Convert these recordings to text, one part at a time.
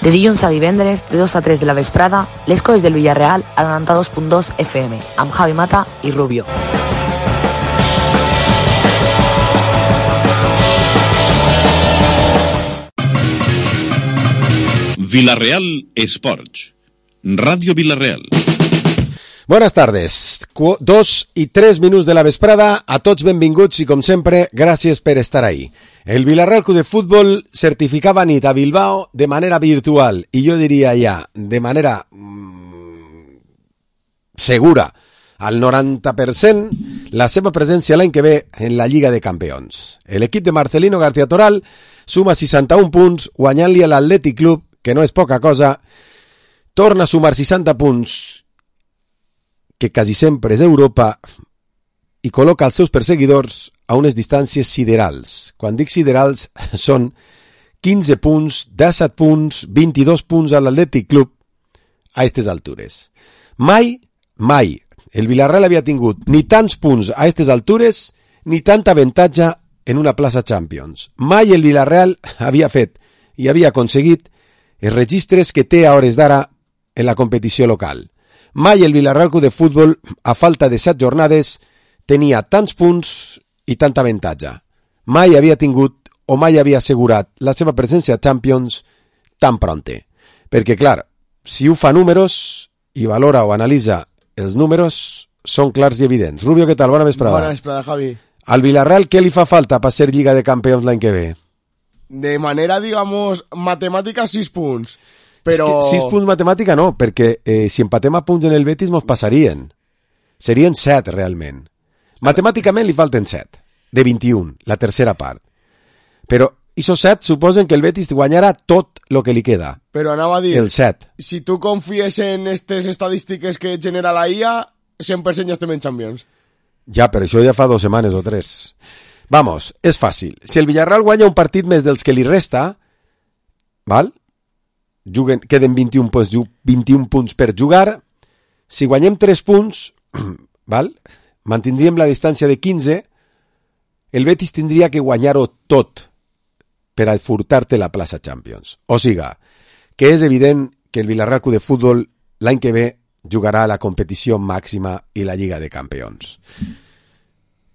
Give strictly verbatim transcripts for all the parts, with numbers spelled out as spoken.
De dilluns a divendres, de dos a tres de la vesprada, les coses del Villarreal a noranta-dos punt dos F M, amb Javi Mata i Rubio. Villarreal Sports, Radio Villarreal. Buenas tardes, Qu- dos i tres minuts de la vesprada, a tots benvinguts i com sempre, gràcies per estar ahí. El Villarreal Club de Fútbol certificava nit a Bilbao de manera virtual i jo diria ja, de manera mmm, segura, al noranta per cent, la seva presència l'any que ve en la Lliga de Campions. L'equip de Marcelino García Toral suma seixanta-un punts, guanyant-li a l'Atlètic Club, que no és poca cosa, torna a sumar seixanta punts, que quasi sempre és Europa, i col·loca els seus perseguidors a unes distàncies siderals. Quan dic siderals, són quinze punts, disset punts, vint-i-dos punts a l'Atlètic Club a aquestes altures. Mai, mai, el Villarreal havia tingut ni tants punts a aquestes altures, ni tanta avantatge en una plaça Champions. Mai el Villarreal havia fet i havia aconseguit els registres que té a hores d'ara en la competició local. Mai el Villarreal Club de Fútbol, a falta de set jornades, tenia tants punts i tanta avantatge. Mai havia tingut o mai havia assegurat la seva presència a Champions tan pronte. Perquè, clar, si ho fa números i valora o analitza els números, són clars i evidents. Rubio, què tal? Bona vesprada. Bona vesprada, Javi. Al Villarreal, què li fa falta per ser Lliga de Campions l'any que ve? De manera, digamos, matemática, sis punts. Però... Es que sis punts matemàtica no, perquè eh, si empatem a punts en el Betis mos passarien. Serien set, realment. Matemàticament li falten set, de vint-i-un, la tercera part. Però esos set suposen que el Betis guanyarà tot el que li queda. Però anava a dir... El set. Si tu confies en aquestes estadístiques que genera la I A, cent per cent ja estem en Champions. Ja, però això ja fa dues setmanes o tres. Vamos, és fàcil. Si el Villarreal guanya un partit més dels que li resta, val? Juguen, queden vint-i-un punts, vint-i-un punts per jugar. Si guanyem tres punts, val? Mantindríem la distància de quinze. El Betis tindria que guanyar-ho tot per a furtar-te la plaça Champions. O siga, que és evident que el Villarreal Club de Fútbol l'any que ve jugarà a la competició màxima i la Lliga de Campions.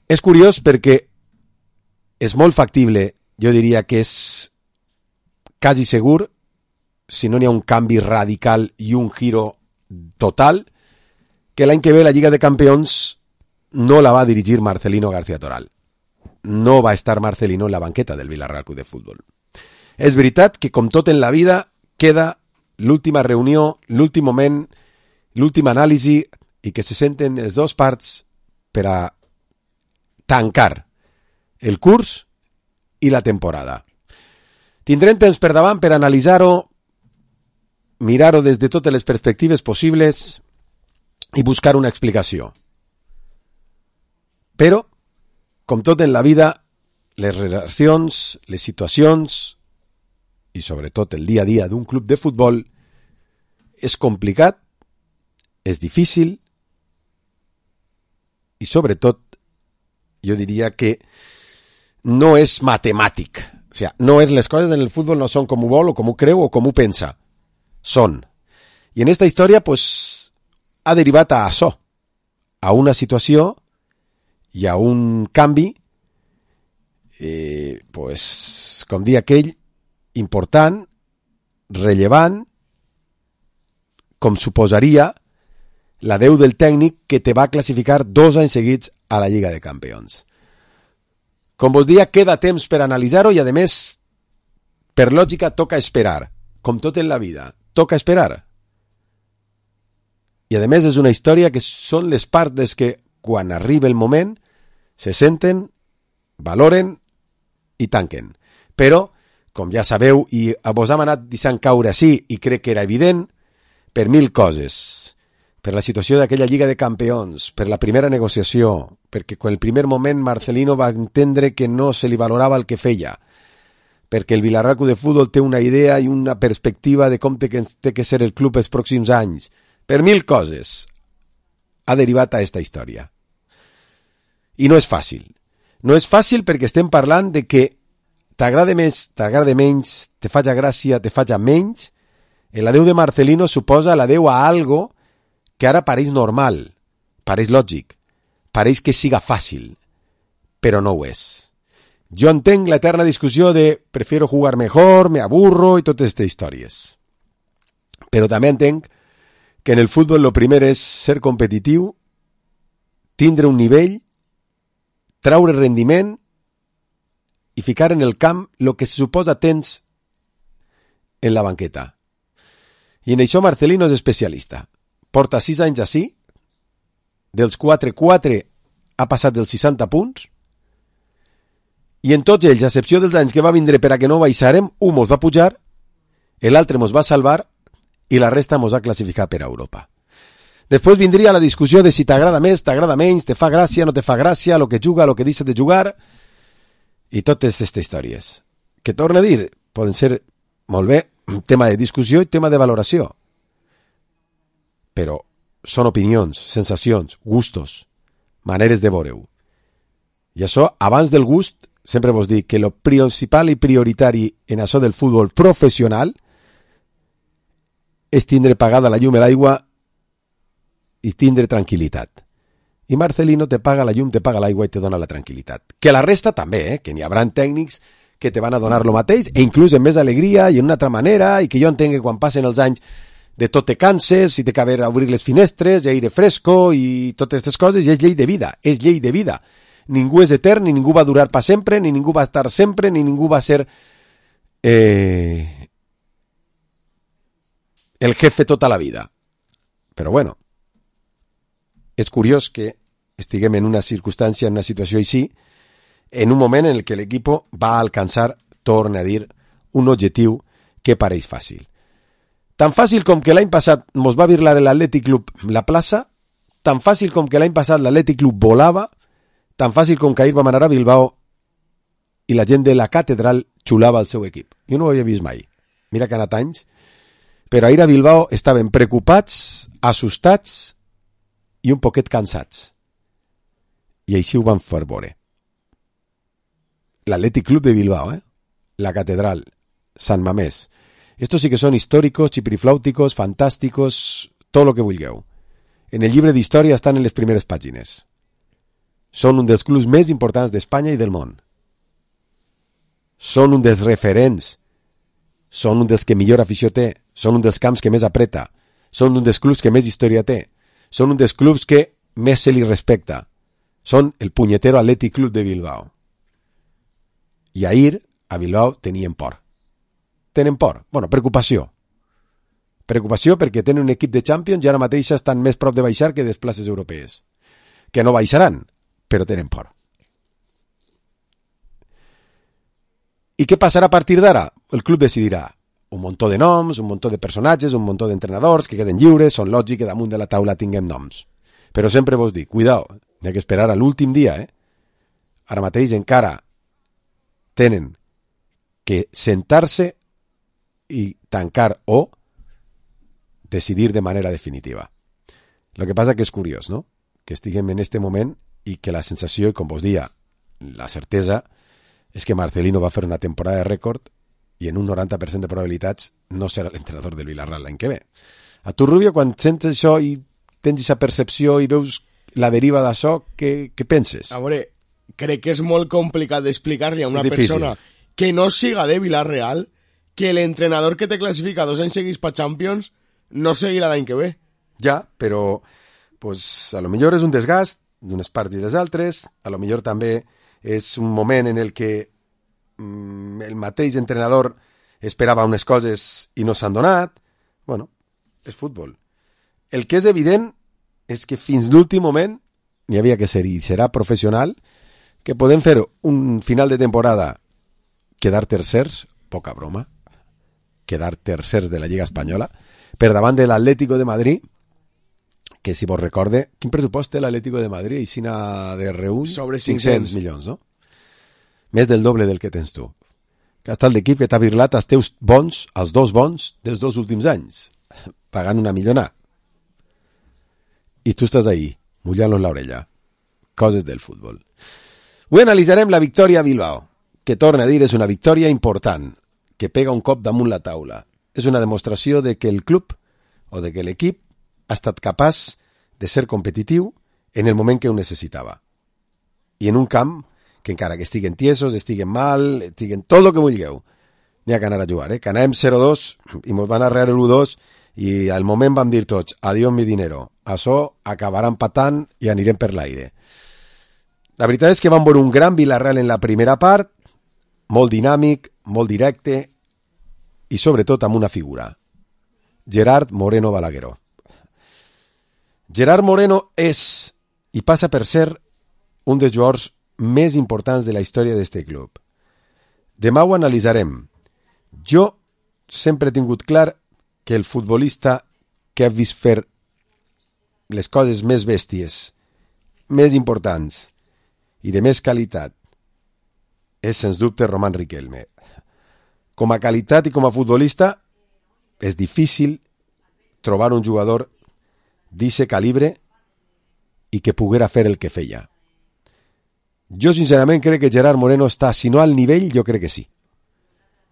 És curiós perquè és molt factible, jo diria que és quasi segur, si no n'hi ha un canvi radical i un giro total, que l'any que ve la Lliga de Campions no la va dirigir Marcelino García Toral. No va estar Marcelino en la banqueta del Villarreal Club de Fútbol. És veritat que, com tot en la vida, queda l'última reunió, l'últim moment, l'última anàlisi, i que se senten les dues parts per a tancar el curs i la temporada. Tindrem temps per davant per analitzar-ho, mirar-ho des de totes les perspectives possibles i buscar una explicació. Però, com tot en la vida, les relacions, les situacions i sobretot el dia a dia d'un club de futbol és complicat, és difícil i sobretot jo diria que no és matemàtic. O sigui, no és, les coses en el futbol no són com ho vol o com ho creu o com ho pensa. Són. I en esta història pues, ha derivat a això, a una situació i a un canvi, eh, pues, com dir aquell, important, rellevant, com suposaria l'adeu del tècnic que te va classificar dos anys seguits a la Lliga de Campions. Com vos dia, queda temps per analitzar-ho i, a més, per lògica, toca esperar, com tot en la vida. Toca esperar. I a més és una història que són les parts que quan arriba el moment se senten, valoren i tanquen. Però, com ja sabeu, i vos hem anat deixant caure així i crec que era evident, per mil coses. Per la situació d'aquella Lliga de Campions, per la primera negociació, perquè en el primer moment Marcelino va entendre que no se li valorava el que feia, perquè el Villarreal Club de Fútbol té una idea i una perspectiva de com té que, té que ser el club els pròxims anys. Per mil coses ha derivat a aquesta història. I no és fàcil. No és fàcil perquè estem parlant de que t'agrada més, t'agrada menys, te faig gràcia, te faig menys, L'adeu de Marcelino suposa l'adeu a algo que ara pareix normal, pareix lògic, pareix que siga fàcil, però no ho és. Jo entenc l'eterna discussió de prefiero jugar mejor, me aburro i totes aquestes històries. Però també entenc que en el futbol lo primer és ser competitiu, tindre un nivell, traure rendiment i ficar en el camp el que se suposa tens en la banqueta. I en això Marcelino és especialista. Porta sis anys així, dels quatre, quatre ha passat dels seixanta punts, i en tots ells, a excepció dels anys que va vindre per a que no baixarem, un mos va pujar, l'altre mos va salvar i la resta mos ha classificat per a Europa. Després vindria la discussió de si t'agrada més, t'agrada menys, te fa gràcia, no te fa gràcia, lo que juga, lo que deixa de jugar, i totes aquestes històries. Que torno a dir, poden ser molt bé tema de discussió i tema de valoració. Però són opinions, sensacions, gustos, maneres de veure-ho. I això, abans del gust, sempre vos dic que lo principal i prioritari en això del futbol professional és tindre pagada la llum i l'aigua i tindre tranquil·litat. I Marcelino te paga la llum, te paga l'aigua i te dona la tranquil·litat. Que la resta també, eh? Que n'hi haurà tècnics que te van a donar lo mateix, e inclús en més alegria i en una altra manera, i que jo entenc que quan passen els anys de tot te canses, i té que haver a obrir les finestres, i aire fresco, i totes aquestes coses, i és llei de vida, és llei de vida. Ningú és etern, ni ningú va durar per sempre, ni ningú va estar sempre, ni ningú va ser eh, el jefe tota la vida. Però bueno, és curiós que estiguem en una circumstància, en una situació així, en un moment en el que l'equip va alcançar, torna a dir, un objectiu que pareix fàcil. Tan fàcil com que l'any passat mos va virlar l'Atlètic Club la plaça, tan fàcil com que l'any passat l'Atlètic Club volava, tan fàcil com que ahir vam anar a Bilbao i la gent de la catedral xulava el seu equip. Jo no ho havia vist mai. Mira que ha anat anys, però ahir a Bilbao estaven preocupats, assustats i un poquet cansats. I així ho van fer veure. L'Atlètic Club de Bilbao, ¿eh? La Catedral, San Mamés. Estos sí que son históricos, chipirifláuticos, fantásticos, todo lo que vulgueu. En el llibre d'història estan en les primeres pàgines. Són un dels clubs més importants d'Espanya i del món. Són un dels referents. Són un dels que millor afició té. Són un dels camps que més apreta. Són un dels clubs que més història té. Són un dels clubs que més se li respecta. Són el punyetero Atlètic Club de Bilbao. I ahir a Bilbao tenien por. Tenen por. Bueno, preocupació. Preocupació perquè tenen un equip de Champions i ara mateix estan més prop de baixar que des places europees. Que no baixaran, però tenen por. I què passarà a partir d'ara? El club decidirà. Un muntó de noms, un muntó de personatges, un muntó d'entrenadors que queden lliures, són lògic que damunt de la taula tinguem noms. Però sempre vos dic, cuidao, n'hi ha que esperar a l'últim dia, eh? Ara mateix encara tenen que sentar-se i tancar o decidir de manera definitiva. Lo que passa que és curiós, no? Que estiguem en este moment i que la sensació, com vos dia, la certesa, és que Marcelino va fer una temporada de rècord i en un noranta per cent de probabilitats no serà l'entrenador del Villarreal l'any que ve. A tu, Rubio, quan sents això i tens aquesta percepció i veus la deriva d'això, què, què penses? A veure, crec que és molt complicat d'explicar-li a una persona que no siga de Villarreal que l'entrenador que te classifica dos anys seguits per Champions no seguirà l'any que ve. Ja, però pues, a lo millor és un desgast d'unes parts i les altres, a lo millor també és un moment en el que mm, el mateix entrenador esperava unes coses i no s'han donat. Bueno, és futbol. El que és evident és que fins l'últim moment n'hi havia que ser i serà professional, que podem fer un final de temporada quedar tercers, poca broma, quedar tercers de la Lliga Espanyola, per davant de l'Atlético de Madrid, que si vos recorde, quin pressupost té l'Atlético de Madrid? Aixina de reúll? Sobre cinc-cents milions, no? Més del doble del que tens tu. Que està el d'equip que t'ha virlat els teus bons, els dos bons dels dos últims anys, pagant una millona. I tu estàs ahí, mullant-los l'orella. Coses del futbol. Avui analitzarem la victòria a Bilbao, que torna a dir és una victòria important, que pega un cop damunt la taula. és una demostració de que el club o de que l'equip ha estat capaç de ser competitiu en el moment que ho necessitava. I en un camp que encara que estiguen tiesos, estiguen mal, estiguen tot el que vulgueu, n'hi ha que anar a jugar, eh? Que anàvem zero dos i ens van arrear l'u dos i al moment vam dir tots, adiós mi dinero, això acabarà empatant i anirem per l'aire. La veritat és que vam veure un gran Villarreal en la primera part, molt dinàmic, molt directe i sobretot amb una figura, Gerard Moreno Balagueró. Gerard Moreno és i passa per ser un dels jugadors més importants de la història d'este club. Demà ho analitzarem. Jo sempre he tingut clar que el futbolista que ha vist fer les coses més bèsties, més importants i de més qualitat és, sens dubte, Román Riquelme. Com a qualitat i com a futbolista és difícil trobar un jugador d'aquest calibre i que poguera fer el que feia. Jo sincerament crec que Gerard Moreno està, si no al nivell, jo crec que sí.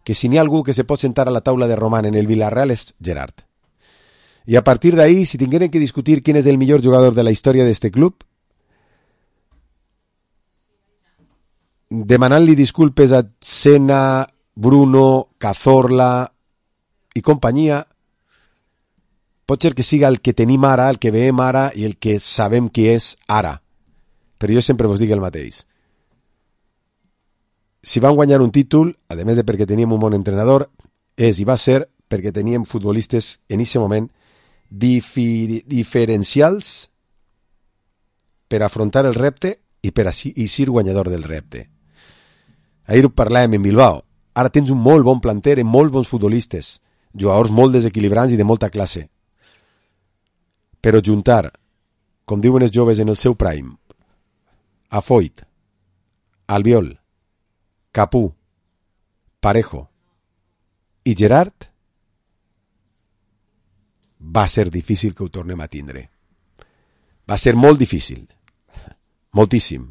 Que si n'hi ha algú que se pot sentar a la taula de Román en el Villarreal és Gerard. I a partir d'ahí, si tingueren que discutir quién és el millor jugador de la història d'este club, demanant-li disculpes a Senna, Bruno, Cazorla i companyia, pot ser que siga el que tenim ara, el que veiem ara i el que sabem qui és ara. Però jo sempre vos dic el mateix. Si van guanyar un títol, a més de perquè teníem un bon entrenador, és i va ser perquè teníem futbolistes en aquest moment difi- diferencials per afrontar el repte i per així i ser guanyador del repte. Ahir ho parlàvem en Bilbao. Ara tens un molt bon planter amb molt bons futbolistes, jugadors molt desequilibrants i de molta classe. Però juntar, com diuen els joves en el seu prime, a Foyt, Albiol, Capú, Parejo i Gerard, va ser difícil que ho tornem a tindre. Va ser molt difícil. Moltíssim.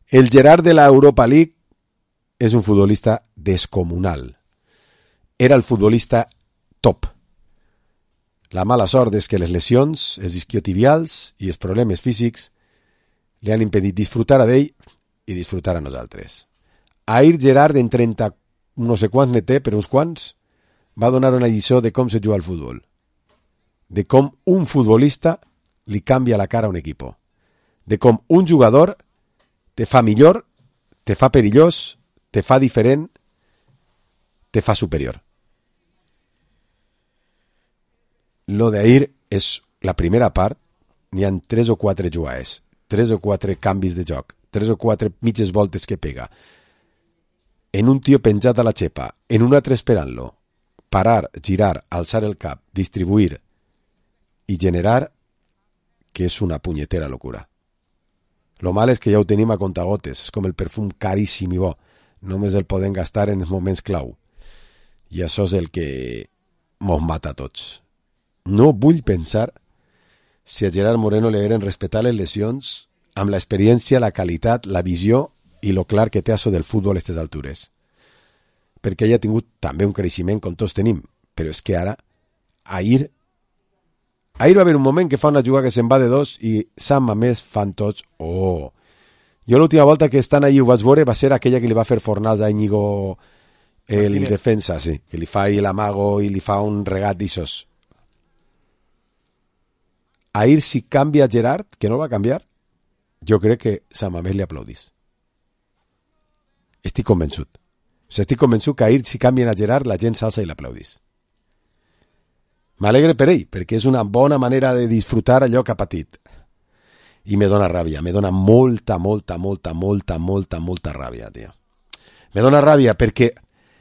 El Gerard de l'Europa League és un futbolista descomunal. Era el futbolista top. La mala sort és que les lesions, els isquiotibials i els problemes físics li han impedit disfrutar a d'ell i disfrutar a nosaltres. Ahir Gerard, en trenta, no sé quants ne té, però uns quants, va donar una lliçó de com se juga al futbol. De com un futbolista li canvia la cara a un equip. De com un jugador te fa millor, te fa perillós, te fa diferent, te fa superior. Lo d'ahir és la primera part, n'hi ha tres o quatre jugades, tres o quatre canvis de joc, tres o quatre mitges voltes que pega, en un tio penjat a la xepa, en un altre esperant-lo, parar, girar, alçar el cap, distribuir i generar, que és una punyetera locura. Lo mal és que ja ho tenim a contagotes, és com el perfum caríssim i bo, només el podem gastar en els moments clau. I això és el que mos mata a tots. No vull pensar si a Gerard Moreno li hagueren respetat les lesions amb l'experiència, la qualitat, la visió i lo clar que té això del futbol a aquestes altures. Perquè ell ha tingut també un creixement com tots tenim, però és que ara, ahir, ahir va haver un moment que fa una jugada que se'n va de dos i Sant Mamés fan tots, oh! Jo l'última volta que estan allí ho vaig veure va ser aquella que li va fer Fornals a Íñigo, el Martínez. Defensa, sí, que li fa ahí l'amago i li fa un regat d'ixos. Ahir si canvia Gerard, que no va canviar, jo crec que Sant Mamés li aplaudís. Estic convençut. O sigui, estic convençut que ahir si canvien a Gerard la gent s'alça i l'aplaudís. M'alegre per ell, perquè és una bona manera de disfrutar allò que ha patit. I me dona ràbia, me dona molta, molta, molta, molta, molta, molta ràbia, tio. Me dona ràbia perquè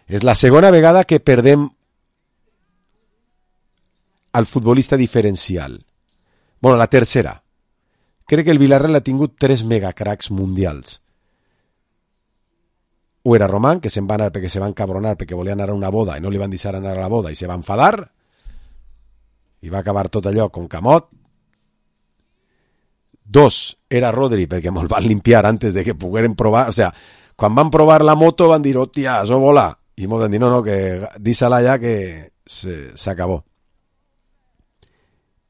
és la segona vegada que perdem al futbolista diferencial. Bueno, la tercera. Crec que el Villarreal ha tingut tres megacracs mundials. O era Román, que se'n va anar perquè se va encabronar, perquè volia anar a una boda i no li van deixar anar a la boda i se va enfadar i va acabar tot allò con camot. Dos, era Rodri, perquè mos van limpiar antes de que pogueren provar, o sea, quan van provar la moto van dir, hòstia, això vola, i mos van dir, no, no, que dísala ja que se, s'acabó.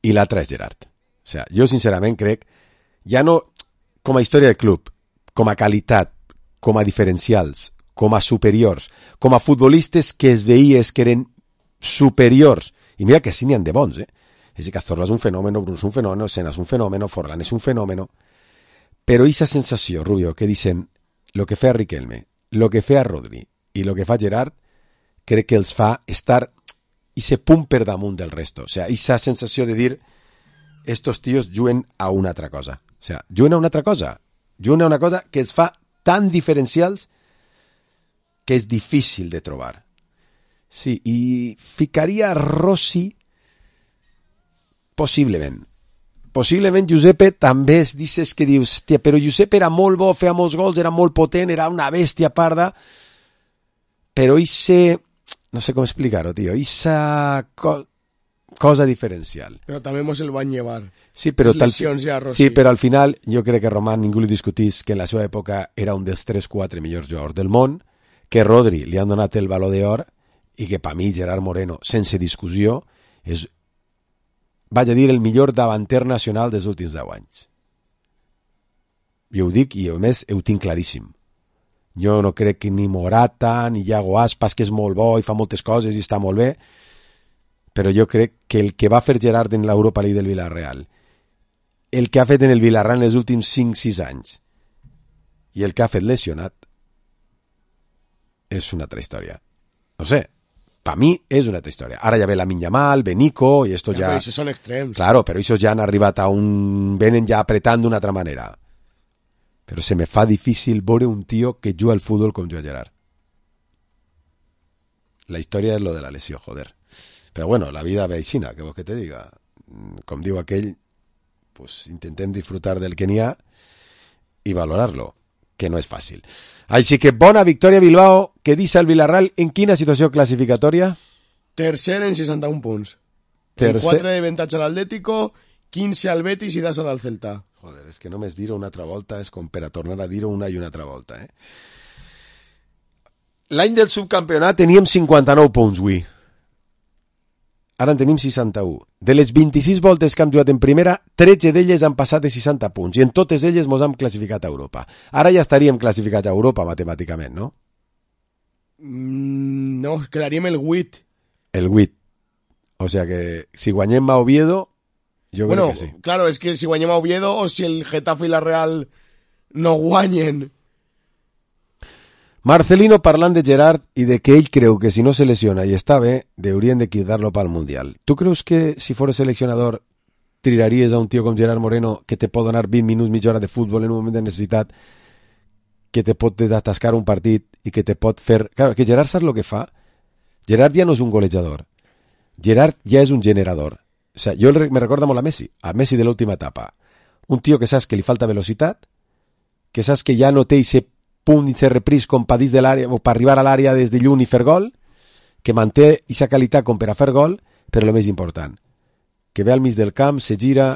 I l'altre és Gerard. O sigui, jo sincerament crec, ja no com a història de club, com a qualitat, com a diferencials, com a superiors, com a futbolistes que es veies que eren superiors, i mira que sí n'hi ha de bons, eh? És a dir, Cazorla és un fenòmeno, Bruno és un fenòmeno, Senna és un fenòmeno, Forlán és un fenòmeno, però aquesta sensació, Rubio, que dicen lo que fa Riquelme, lo que fa Rodri i lo que fa Gerard, crec que els fa estar i se punt per damunt del resto. O sigui, aquesta sensació de dir estos tios juguen a una altra cosa. O sigui, juguen a una altra cosa. Juguen a una cosa que els fa tan diferencials que és difícil de trobar. Sí, i ficaria Rossi possiblement. Possiblement Giuseppe també es dices que dius, hòstia, però Giuseppe era molt bo, feia molts gols, era molt potent, era una bèstia parda, però ese, no sé com explicar-ho, tio, esa co cosa diferencial. Però també mos el van llevar. Sí, però, tal, ja, sí, però al final jo crec que Román ningú li discutís que en la seva època era un dels tres quatre millors jugadors del món, que Rodri li han donat el Baló d'Or i que per mi Gerard Moreno, sense discussió, és, vaig a dir, el millor davanter nacional dels últims deu anys. Jo ho dic i a més ho tinc claríssim. Jo no crec que ni Morata ni Iago Aspas, que és molt bo i fa moltes coses i està molt bé, però jo crec que el que va fer Gerard en l'Europa League del Villarreal, el que ha fet en el Villarreal en els últims cinc sis anys i el que ha fet lesionat és una altra història. No sé, per mi és una altra història. Ara ja ve Lamine Yamal, ve Nico i esto ja... Però això són extrems. Claro, però això ja han arribat a un... venen ja apretant d'una altra manera. Però se me fa difícil veure un tio que juga al futbol com juga Gerard. La història és lo de la lesió, joder. Però bueno, la vida ve aixina, que vols que te diga. Com diu aquell, pues intentem disfrutar del que n'hi ha i valorar-lo, que no és fàcil. Així que bona victòria Bilbao, que deixa el Villarreal en quina situació classificatòria? Tercer en seixanta-un punts. Tercer... quatre de avantatge a l'Atlético, quinze al Betis i das al Celta. Joder, és que només dir-ho una altra volta és com per a tornar a dir-ho una i una altra volta. Eh? L'any del subcampionat teníem cinquanta-nou punts, avui. Ara en tenim seixanta-u. De les vint-i-sis voltes que hem jugat en primera, tretze d'elles han passat de seixanta punts i en totes elles mos hem classificat a Europa. Ara ja estaríem classificats a Europa matemàticament, no? Mm, no, quedaríem el vuit. El vuit. O sea que si guanyem a Oviedo, jo bueno, crec que sí. Claro, és que si guanyem a Oviedo o si el Getafe i la Real no guanyen... Marcelino parlant de Gerard i de que ell creu que si no se lesiona i està bé, deurien de quitar-lo pel Mundial. Tu creus que si fos seleccionador tiraries a un tio com Gerard Moreno que te pot donar vint minuts, mitja hora de futbol en un moment de necessitat, que te pot desatascar un partit i que te pot fer... Claro, que Gerard saps el que fa? Gerard ja no és un golejador. Gerard ja és un generador. O sea, jo me recordo molt a Messi, a Messi de l'última etapa. Un tio que saps que li falta velocitat, que saps que ja no té ese punt i se repris com per dins de l'àrea o per arribar a l'àrea des de lluny i fer gol, que manté aquesta qualitat com per a fer gol, però el més important, que ve al mig del camp, se gira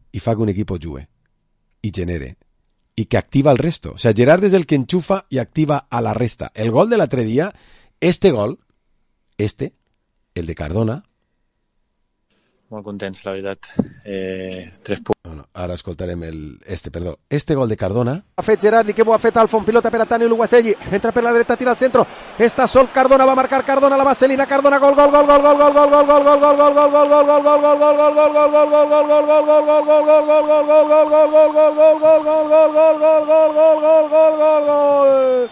i fa que un equip jugui i genere i que activa el resto. O sea, Gerard és el que enxufa i activa a la resta. El gol de l'altre dia, este gol, este, el de Cardona, molt contents, la veritat. Eh, tres punts. No, no, ara escoltarem el, este, perdó. Este gol de Cardona. Ha fet Gerard i que ho ha fet Alfon, pilota per a Tani Luguaselli, entra per la dreta, tira al centro, està sol Cardona, va marcar Cardona, la vaselina, Cardona, gol, gol, gol, gol, gol, gol, gol, gol, gol, gol, gol, gol, gol, gol, gol, gol, gol, gol,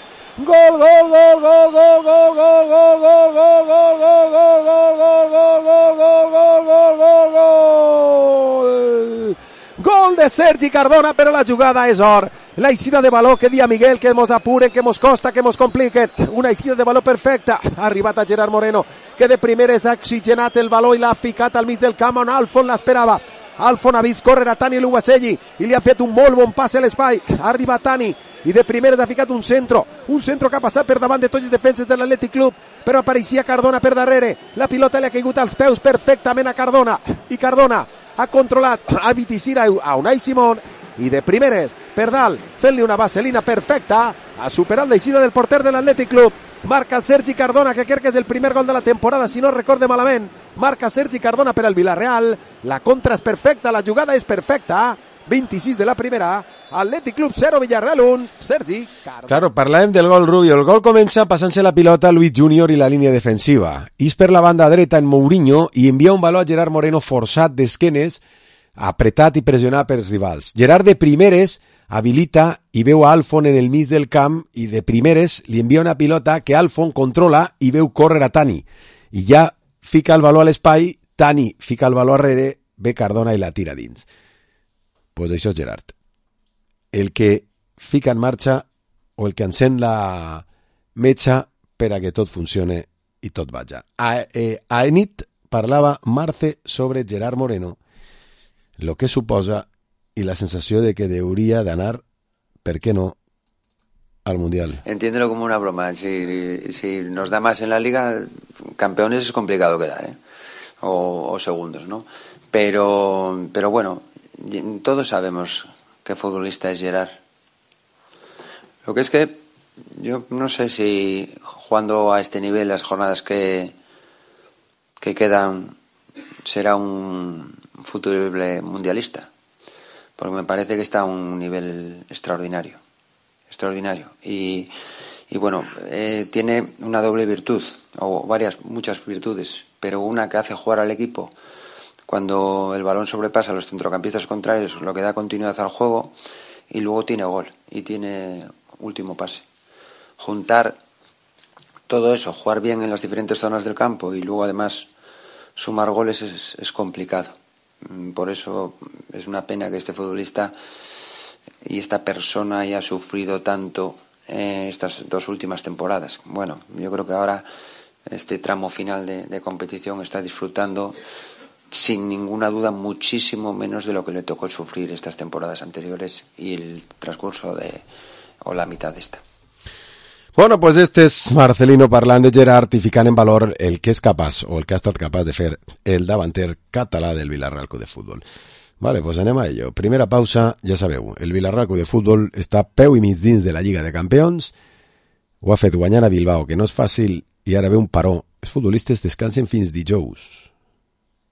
gol de Sergi Cardona, però la jugada és or. La eixida de baló que dia Miguel, que mos apuren, que mos costa, que mos compliquen. Una eixida de baló perfecta. Ha arribat a Gerard Moreno, que de primeres ha oxigenat el baló i l'ha ficat al mig del camp on Alfon l'esperava. Alfon ha vist córrer a Tani Luguaselli i li ha fet un molt bon passe a l'espai. Ha arribat Tani i de primeres ha ficat un centro. Un centro que ha passat per davant de tots els defenses de l'Atlètic Club, però apareixia Cardona per darrere. La pilota li ha caigut als peus perfectament a Cardona. I Cardona ha controlat a Viticira a Unai Simón i de primeres per dalt fent-li una vaselina perfecta, ha superat l'eixida del porter de l'Atlètic Club. Marca Sergi Cardona, que crec que és el primer gol de la temporada, si no recorde malament. Marca Sergi Cardona per al Villarreal. La contra és perfecta, la jugada és perfecta. vint-i-sis de la primera, Athletic Club zero, Villarreal un, Sergi Cardona. Claro, parlàvem del gol Rubio. El gol comença passant-se la pilota a Luis Junior i la línia defensiva. És per la banda dreta en Mourinho i envia un valor a Gerard Moreno forçat d'esquenes, apretat i pressionat pels rivals. Gerard de primeres habilita i veu a Alfon en el mig del camp i de primeres li envia una pilota que Alfon controla i veu córrer a Tani. I ja fica el valor a l'espai, Tani fica el valor arrere, ve Cardona i la tira dins. Pues això és Gerard. El que fica en marxa o el que encén la metxa per a que tot funcione i tot vaja. A, eh, a nit parlava Marce sobre Gerard Moreno, lo que suposa y la sensación de que debería ganar, ¿por qué no?, al Mundial. Entiéndelo como una broma. Si, si nos da más en la Liga, campeones es complicado quedar, ¿eh? O, o segundos, ¿no? Pero, pero bueno, todos sabemos qué futbolista es Gerard. Lo que es que yo no sé si jugando a este nivel las jornadas que, que quedan será un futurible mundialista, porque me parece que está a un nivel extraordinario, extraordinario y, y bueno, eh, tiene una doble virtud, o varias, muchas virtudes, pero una que hace jugar al equipo cuando el balón sobrepasa a los centrocampistas contrarios, lo que da continuidad al juego, y luego tiene gol y tiene último pase. Juntar todo eso, jugar bien en las diferentes zonas del campo y luego además sumar goles es, es complicado. Por eso es una pena que este futbolista y esta persona haya sufrido tanto eh, estas dos últimas temporadas. Bueno, yo creo que ahora este tramo final de, de competición está disfrutando sin ninguna duda muchísimo menos de lo que le tocó sufrir estas temporadas anteriores y el transcurso de o la mitad de esta. Bueno, pues este és Marcelino parlant de Gerard i ficant en valor el que és capaç o el que ha estat capaç de fer el davanter català del Villarreal Club de Futbol. Vale, pues anem a ello. Primera pausa, ja sabeu, el Villarreal Club de Futbol està peu i mig dins de la Lliga de Campions, ho ha fet guanyant a Bilbao, que no és fàcil, i ara ve un paró. Els futbolistes descansen fins dijous.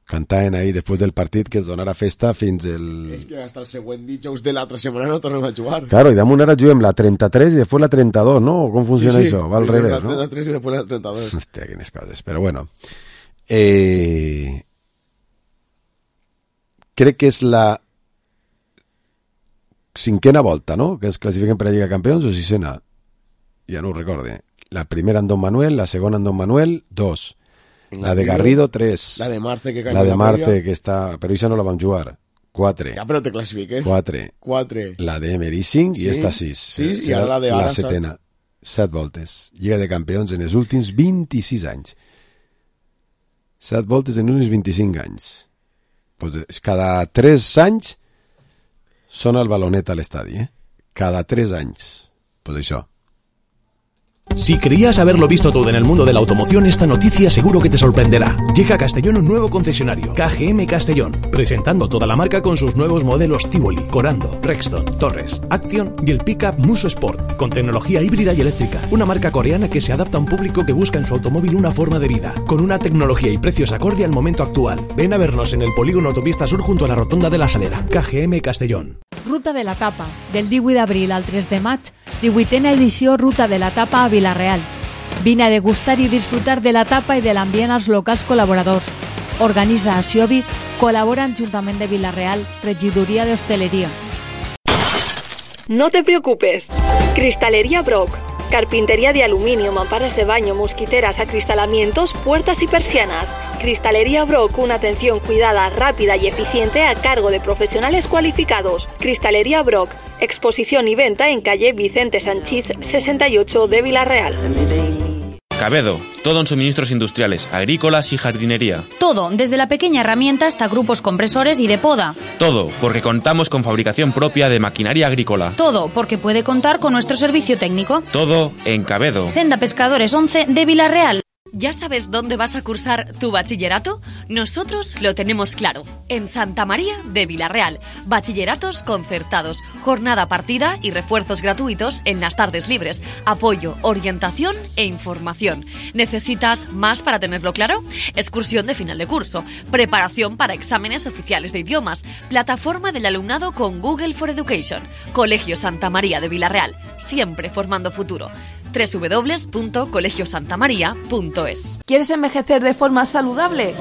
Cantaven ahir després del partit que es donarà festa fins el... És que hasta el següent dijous de l'altra setmana no tornem a jugar. Claro, i damunt ara juguem la trenta-tres i després la trenta-dos, ¿no? Com funciona sí, sí. això? Va al revés, la no? La trenta-tres i després la trenta-dos. Hòstia, quines coses. Però bueno, eh... crec que és la cinquena volta, no?, que es classifiquen per a Lliga de Campions, o sisena? Ja no ho recorde. La primera en Don Manuel, la segona en Don Manuel, dos. La de Garrido, tres. La de Marce, que La de Marce, que està... Però això no la vam jugar. Quatre. Ja, però te classifiques. Quatre. Quatre. La de Emery, cinc, sí. I esta sis. Sis, i ara la de ara, la setena. Set voltes. Lliga de Campions en els últims vint-i-sis anys. Set voltes en uns vint-i-cinc anys. Pues cada tres anys sona el balonet a l'estadi, eh? Cada tres anys. Pues això. Si creías haberlo visto todo en el mundo de la automoción, esta noticia seguro que te sorprenderá. Llega a Castellón un nuevo concesionario, K G M Castellón, presentando toda la marca con sus nuevos modelos Tivoli, Corando, Rexton, Torres, Action y el pickup Muso Sport, con tecnología híbrida y eléctrica. Una marca coreana que se adapta a un público que busca en su automóvil una forma de vida, con una tecnología y precios acorde al momento actual. Ven a vernos en el polígono Autopista Sur junto a la rotonda de la Salera. K G M Castellón. Ruta de la Tapa, del divuit d'abril al tres de maig, divuitena edició Ruta de la Tapa a Vila-real. Vine a degustar i disfrutar de la tapa i de l'ambient als locals col·laboradors. Organitza Aciobi, col·labora en Ajuntament de Vila-real, Regidoria de Hostelería. No te preocupes. Cristalería Brock. Carpintería de aluminio, mamparas de baño, mosquiteras, acristalamientos, puertas y persianas. Cristalería Brock, una atención cuidada, rápida y eficiente a cargo de profesionales cualificados. Cristalería Brock, exposición y venta en calle Vicente Sanchís sesenta y ocho de Vila-real. Cabedo, todo en suministros industriales, agrícolas y jardinería. Todo, desde la pequeña herramienta hasta grupos compresores y de poda. Todo, porque contamos con fabricación propia de maquinaria agrícola. Todo, porque puede contar con nuestro servicio técnico. Todo en Cabedo. Senda Pescadores once de Vila-real. ¿Ya sabes dónde vas a cursar tu bachillerato? Nosotros lo tenemos claro. En Santa María de Vilarreal. Bachilleratos concertados, jornada partida y refuerzos gratuitos en las tardes libres. Apoyo, orientación e información. ¿Necesitas más para tenerlo claro? Excursión de final de curso. Preparación para exámenes oficiales de idiomas. Plataforma del alumnado con Google for Education. Colegio Santa María de Vilarreal. Siempre formando futuro. doble u doble u doble u punto colegio santa maría punto es. ¿Quieres envejecer de forma saludable?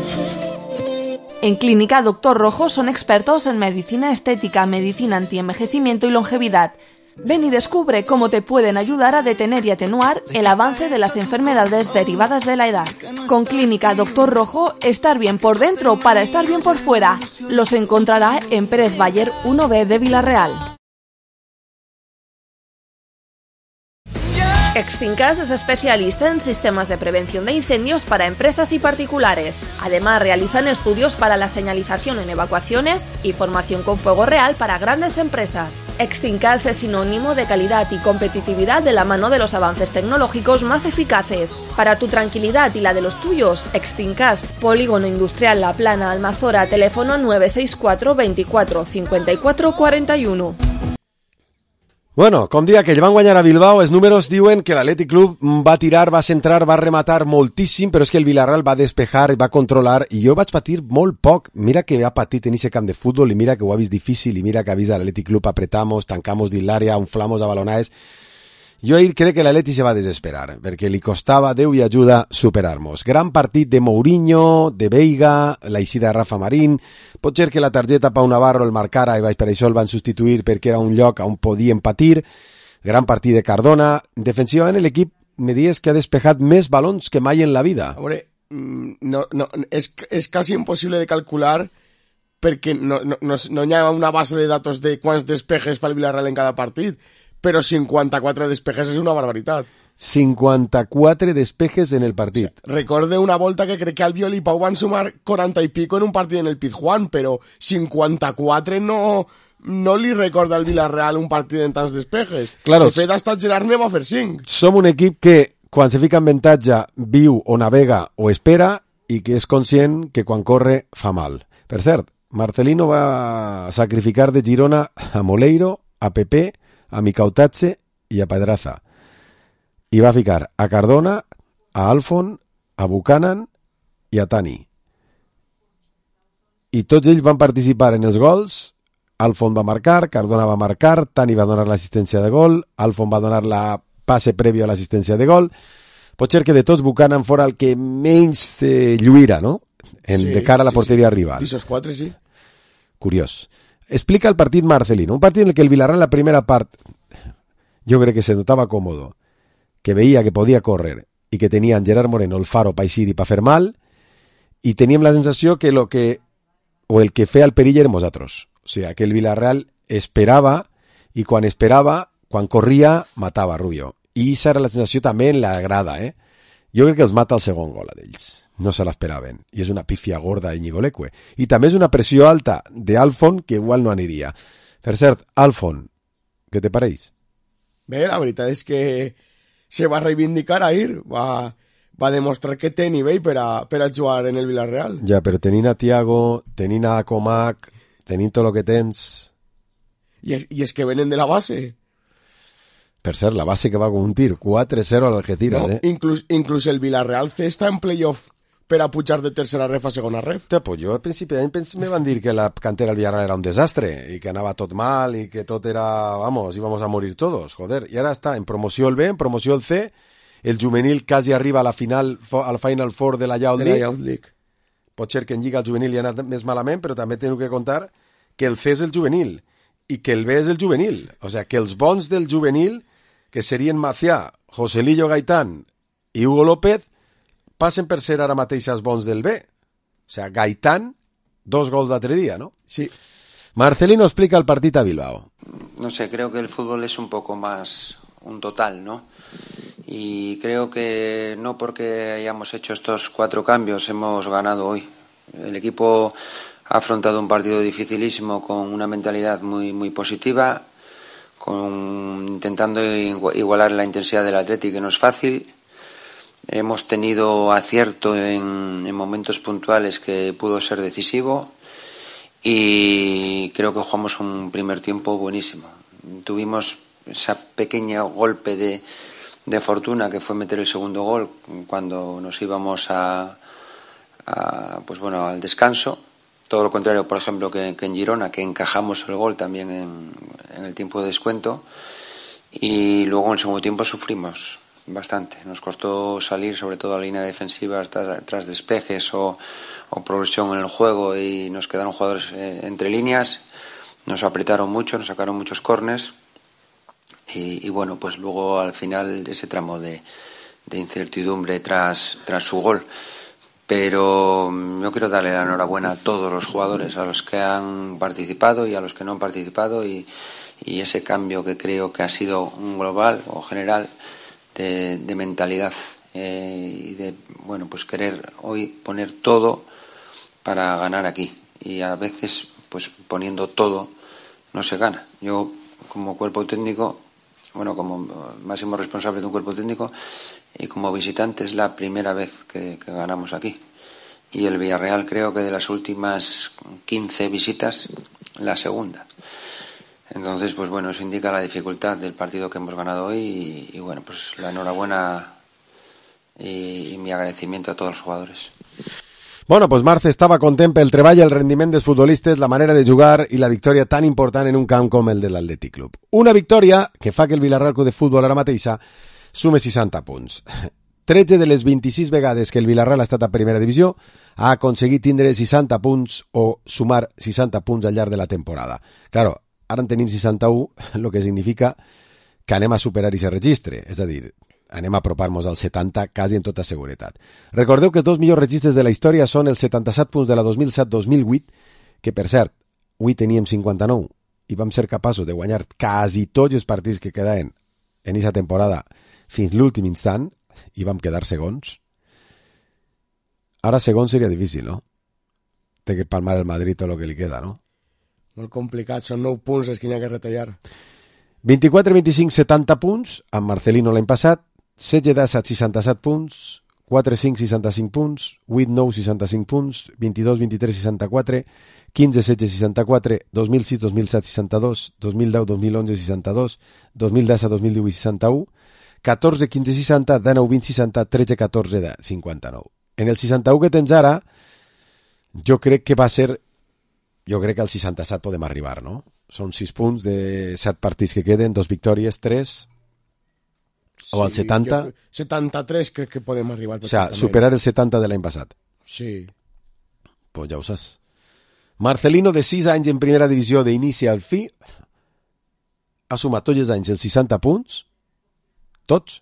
En Clínica Doctor Rojo son expertos en medicina estética, medicina antienvejecimiento y longevidad. Ven y descubre cómo te pueden ayudar a detener y atenuar el avance de las enfermedades derivadas de la edad. Con Clínica Doctor Rojo, estar bien por dentro para estar bien por fuera. Los encontrará en Pérez Bayer uno B de Vilarreal. Extincas es especialista en sistemas de prevención de incendios para empresas y particulares. Además, realizan estudios para la señalización en evacuaciones y formación con fuego real para grandes empresas. Extincas es sinónimo de calidad y competitividad de la mano de los avances tecnológicos más eficaces. Para tu tranquilidad y la de los tuyos, Extincas, Polígono Industrial La Plana, Almazora, teléfono nueve seis cuatro veinticuatro cincuenta y cuatro cuarenta y uno. Bueno, com dia que van guanyar a Bilbao, els números diuen que l'Atlètic Club va tirar, va centrar, va rematar moltíssim, però és que el Villarreal va despejar, va controlar, i jo vaig patir molt poc. Mira que ha patit en ese camp de futbol, i mira que ho ha vist difícil, i mira que ha vist a l'Atlètic Club apretamos, tancamos dins l'àrea, unflamos a balonades. Jo ahir crec que l'Atleti se va desesperar, perquè li costava, Déu i ajuda, superar-nos. Gran partit de Mourinho, de Veiga, la eixida de Rafa Marín. Pot ser que la targeta Pau Navarro el marcara i per això el van substituir perquè era un lloc on podien patir. Gran partit de Cardona. Defensivament l'equip me dies que ha despejat més balons que mai en la vida. A veure, no, no, és, és quasi impossible de calcular perquè no, no, no, no hi ha una base de datos de quants despejes fa el Villarreal en cada partit. Però cinquanta-quatre despejes és una barbaritat. cinquanta-quatre despejes en el partit. O sea, recorde una volta que crec que Albiol i Pau van sumar quaranta i pico en un partit en el Pizjuán, però cinquanta-quatre no, no li recorda al Villarreal un partit en tants despejes. Claro, de fet, hasta el Gerard ne va fer cinc. Som un equip que, quan se fica en avantatge, viu o navega o espera, i que és conscient que quan corre fa mal. Per cert, Marcelino va sacrificar de Girona a Moleiro, a Pepe, a Micautatge i a Pedraza. I va ficar a Cardona, a Alfon, a Buchanan i a Tani. I tots ells van participar en els gols. Alfon va marcar, Cardona va marcar, Tani va donar l'assistència de gol, Alfon va donar la passe prèvia a l'assistència de gol. Pot ser que de tots Buchanan fora el que menys eh, lluïra, no? En, sí, de cara a la porteria sí, sí. rival. D'esos quatre, sí. Curiós. Explica el partit Marcelino, un partit en el que el Villarreal en la primera part jo crec que se notava còmodo, que veia que podia córrer i que tenien Gerard Moreno, el faro pa eixir i pa fer mal, i teníem la sensació que lo que o el que feia el perill érem nosaltres. O sigui, que el Villarreal esperava i quan esperava, quan corria, matava Rubio. I aquesta era la sensació també en la grada, eh? Jo crec que els mata el segon gol a d'ells. No se l'esperaven. I és una pífia gorda d'Iñigo Leque. I també és una pressió alta d'Alfon que igual no aniria. Per cert, Alfon, què te pareix? Bé, la veritat és que se va reivindicar ahir. Va, va demostrar que té nivell per a, per a jugar en el Villarreal. Ja, però tenint a Thiago, tenint a Comac, tenint tot el que tens... I és, I és que venen de la base. Per cert, la base que va con un tir, quatre cero a l'Algeciras, no, eh? Inclús, inclús el Villarreal C està en playoff per a pujar de tercera ref a segona ref. Te, pues jo al principi d'any me van dir que la cantera del Villarreal era un desastre i que anava tot mal i que tot era, vamos, íbamos a morir todos, joder. I ara està en promoció el B, en promoció el C, el juvenil quasi arriba a la final, al Final Four de la Youth League. League. Pot ser que en Lliga el juvenil hi ha anat més malament, però també teniu que contar que el C és el juvenil i que el B és el juvenil. O sigui, que els bons del juvenil, que serien Macià, Joselillo Gaitán i Hugo López, passen per ser ara mateix els bons del B. O sigui, Gaitán, dos gols d'altre dia, ¿no? Sí. Marcelino explica el partit a Bilbao. No sé, creo que el fútbol es un poco más un total, ¿no? Y creo que no porque hayamos hecho estos cuatro cambios hemos ganado hoy. El equipo ha afrontado un partido dificilísimo con una mentalidad muy, muy positiva, con, intentando igualar la intensidad del Atleti, que no es fácil. hemos tenido acierto en, en momentos puntuales que pudo ser decisivo y creo que jugamos un primer tiempo buenísimo. Tuvimos ese pequeño golpe de, de fortuna que fue meter el segundo gol cuando nos íbamos a, a pues bueno, al descanso. Todo lo contrario, por ejemplo, que, que en Girona, que encajamos el gol también en, en el tiempo de descuento. Y luego en el segundo tiempo sufrimos bastante. Nos costó salir, sobre todo a la línea defensiva, tras, tras despejes o, o progresión en el juego, y nos quedaron jugadores eh, entre líneas. Nos apretaron mucho, nos sacaron muchos córners. Y, y bueno, pues luego al final ese tramo de, de incertidumbre tras, tras su gol. Pero yo quiero darle la enhorabuena a todos los jugadores, a los que han participado y a los que no han participado, y, y ese cambio que creo que ha sido un global o general de, de mentalidad eh, y de, bueno, pues querer hoy poner todo para ganar aquí. Y a veces, pues poniendo todo no se gana. Yo, como cuerpo técnico, bueno, como máximo responsable de un cuerpo técnico y como visitante, es la primera vez que, que ganamos aquí. Y el Villarreal, creo que de las últimas quince visitas, la segunda. Entonces, pues bueno, eso indica la dificultad del partido que hemos ganado hoy y, y bueno, pues la enhorabuena y, y mi agradecimiento a todos los jugadores. Bueno, pues Marce estava content pel treball, el rendiment dels futbolistes, la manera de jugar i la victòria tan important en un camp com el de l'Atlètic Club. Una victòria que fa que el Villarreal Club de Futbol ara mateixa sume seixanta punts. tretze de les vint-i-sis vegades que el Villarreal ha estat a primera divisió ha aconseguit tindre seixanta punts o sumar seixanta punts al llarg de la temporada. Claro, ara en tenim seixanta-u, el que significa que anem a superar aquest registre, és a dir, anem a apropar-nos al setanta quasi en tota seguretat. Recordeu que els dos millors registres de la història són els setanta-set punts de la dos mil set dos mil vuit, que per cert, avui teníem cinquanta-nou i vam ser capaços de guanyar quasi tots els partits que quedaven en aquesta temporada fins l'últim instant i vam quedar segons. Ara segons seria difícil, no? Té que palmar el Madrid tot el que li queda, no? Molt complicat, són nou punts els que hi ha que retallar. vint-i-quatre vint-i-cinc setanta punts, amb Marcelino l'any passat, setze disset seixanta-set punts, quatre cinc seixanta-cinc punts, vuit nou seixanta-cinc punts, vint-i-dos vint-i-tres seixanta-quatre, quinze setze seixanta-quatre, dos mil sis dos mil set seixanta-dos, dos mil deu dos mil onze seixanta-dos, dos mil disset dos mil divuit seixanta-u, catorze quinze seixanta, dinou vint seixanta, tretze catorze cinquanta-nou. En el seixanta-u que tens ara, jo crec que va ser... Jo crec que al seixanta-set podem arribar, no? Són sis punts de set partits que queden, dos victòries, tres... O al setanta... Jo, setanta-tres crec que podem arribar. O sea, superar el setanta de l'any passat. Sí. Pues ja ho saps. Marcelino, de sis anys en primera divisió d'inici al fi, ha sumat tots els anys els seixanta punts, tots,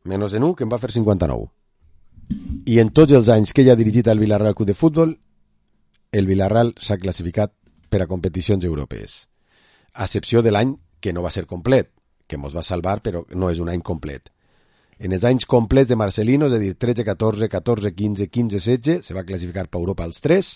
menys en un, que en va fer cinquanta-nou. I en tots els anys que ell ha dirigit al Villarreal Club de Futbol, el Villarreal s'ha classificat per a competicions europees. A excepció de l'any que no va ser complet, que mos va salvar, però no és un any complet. En els anys complets de Marcelino, és a dir, tretze catorze, catorze quinze, quinze setze, se va classificar per Europa als tres,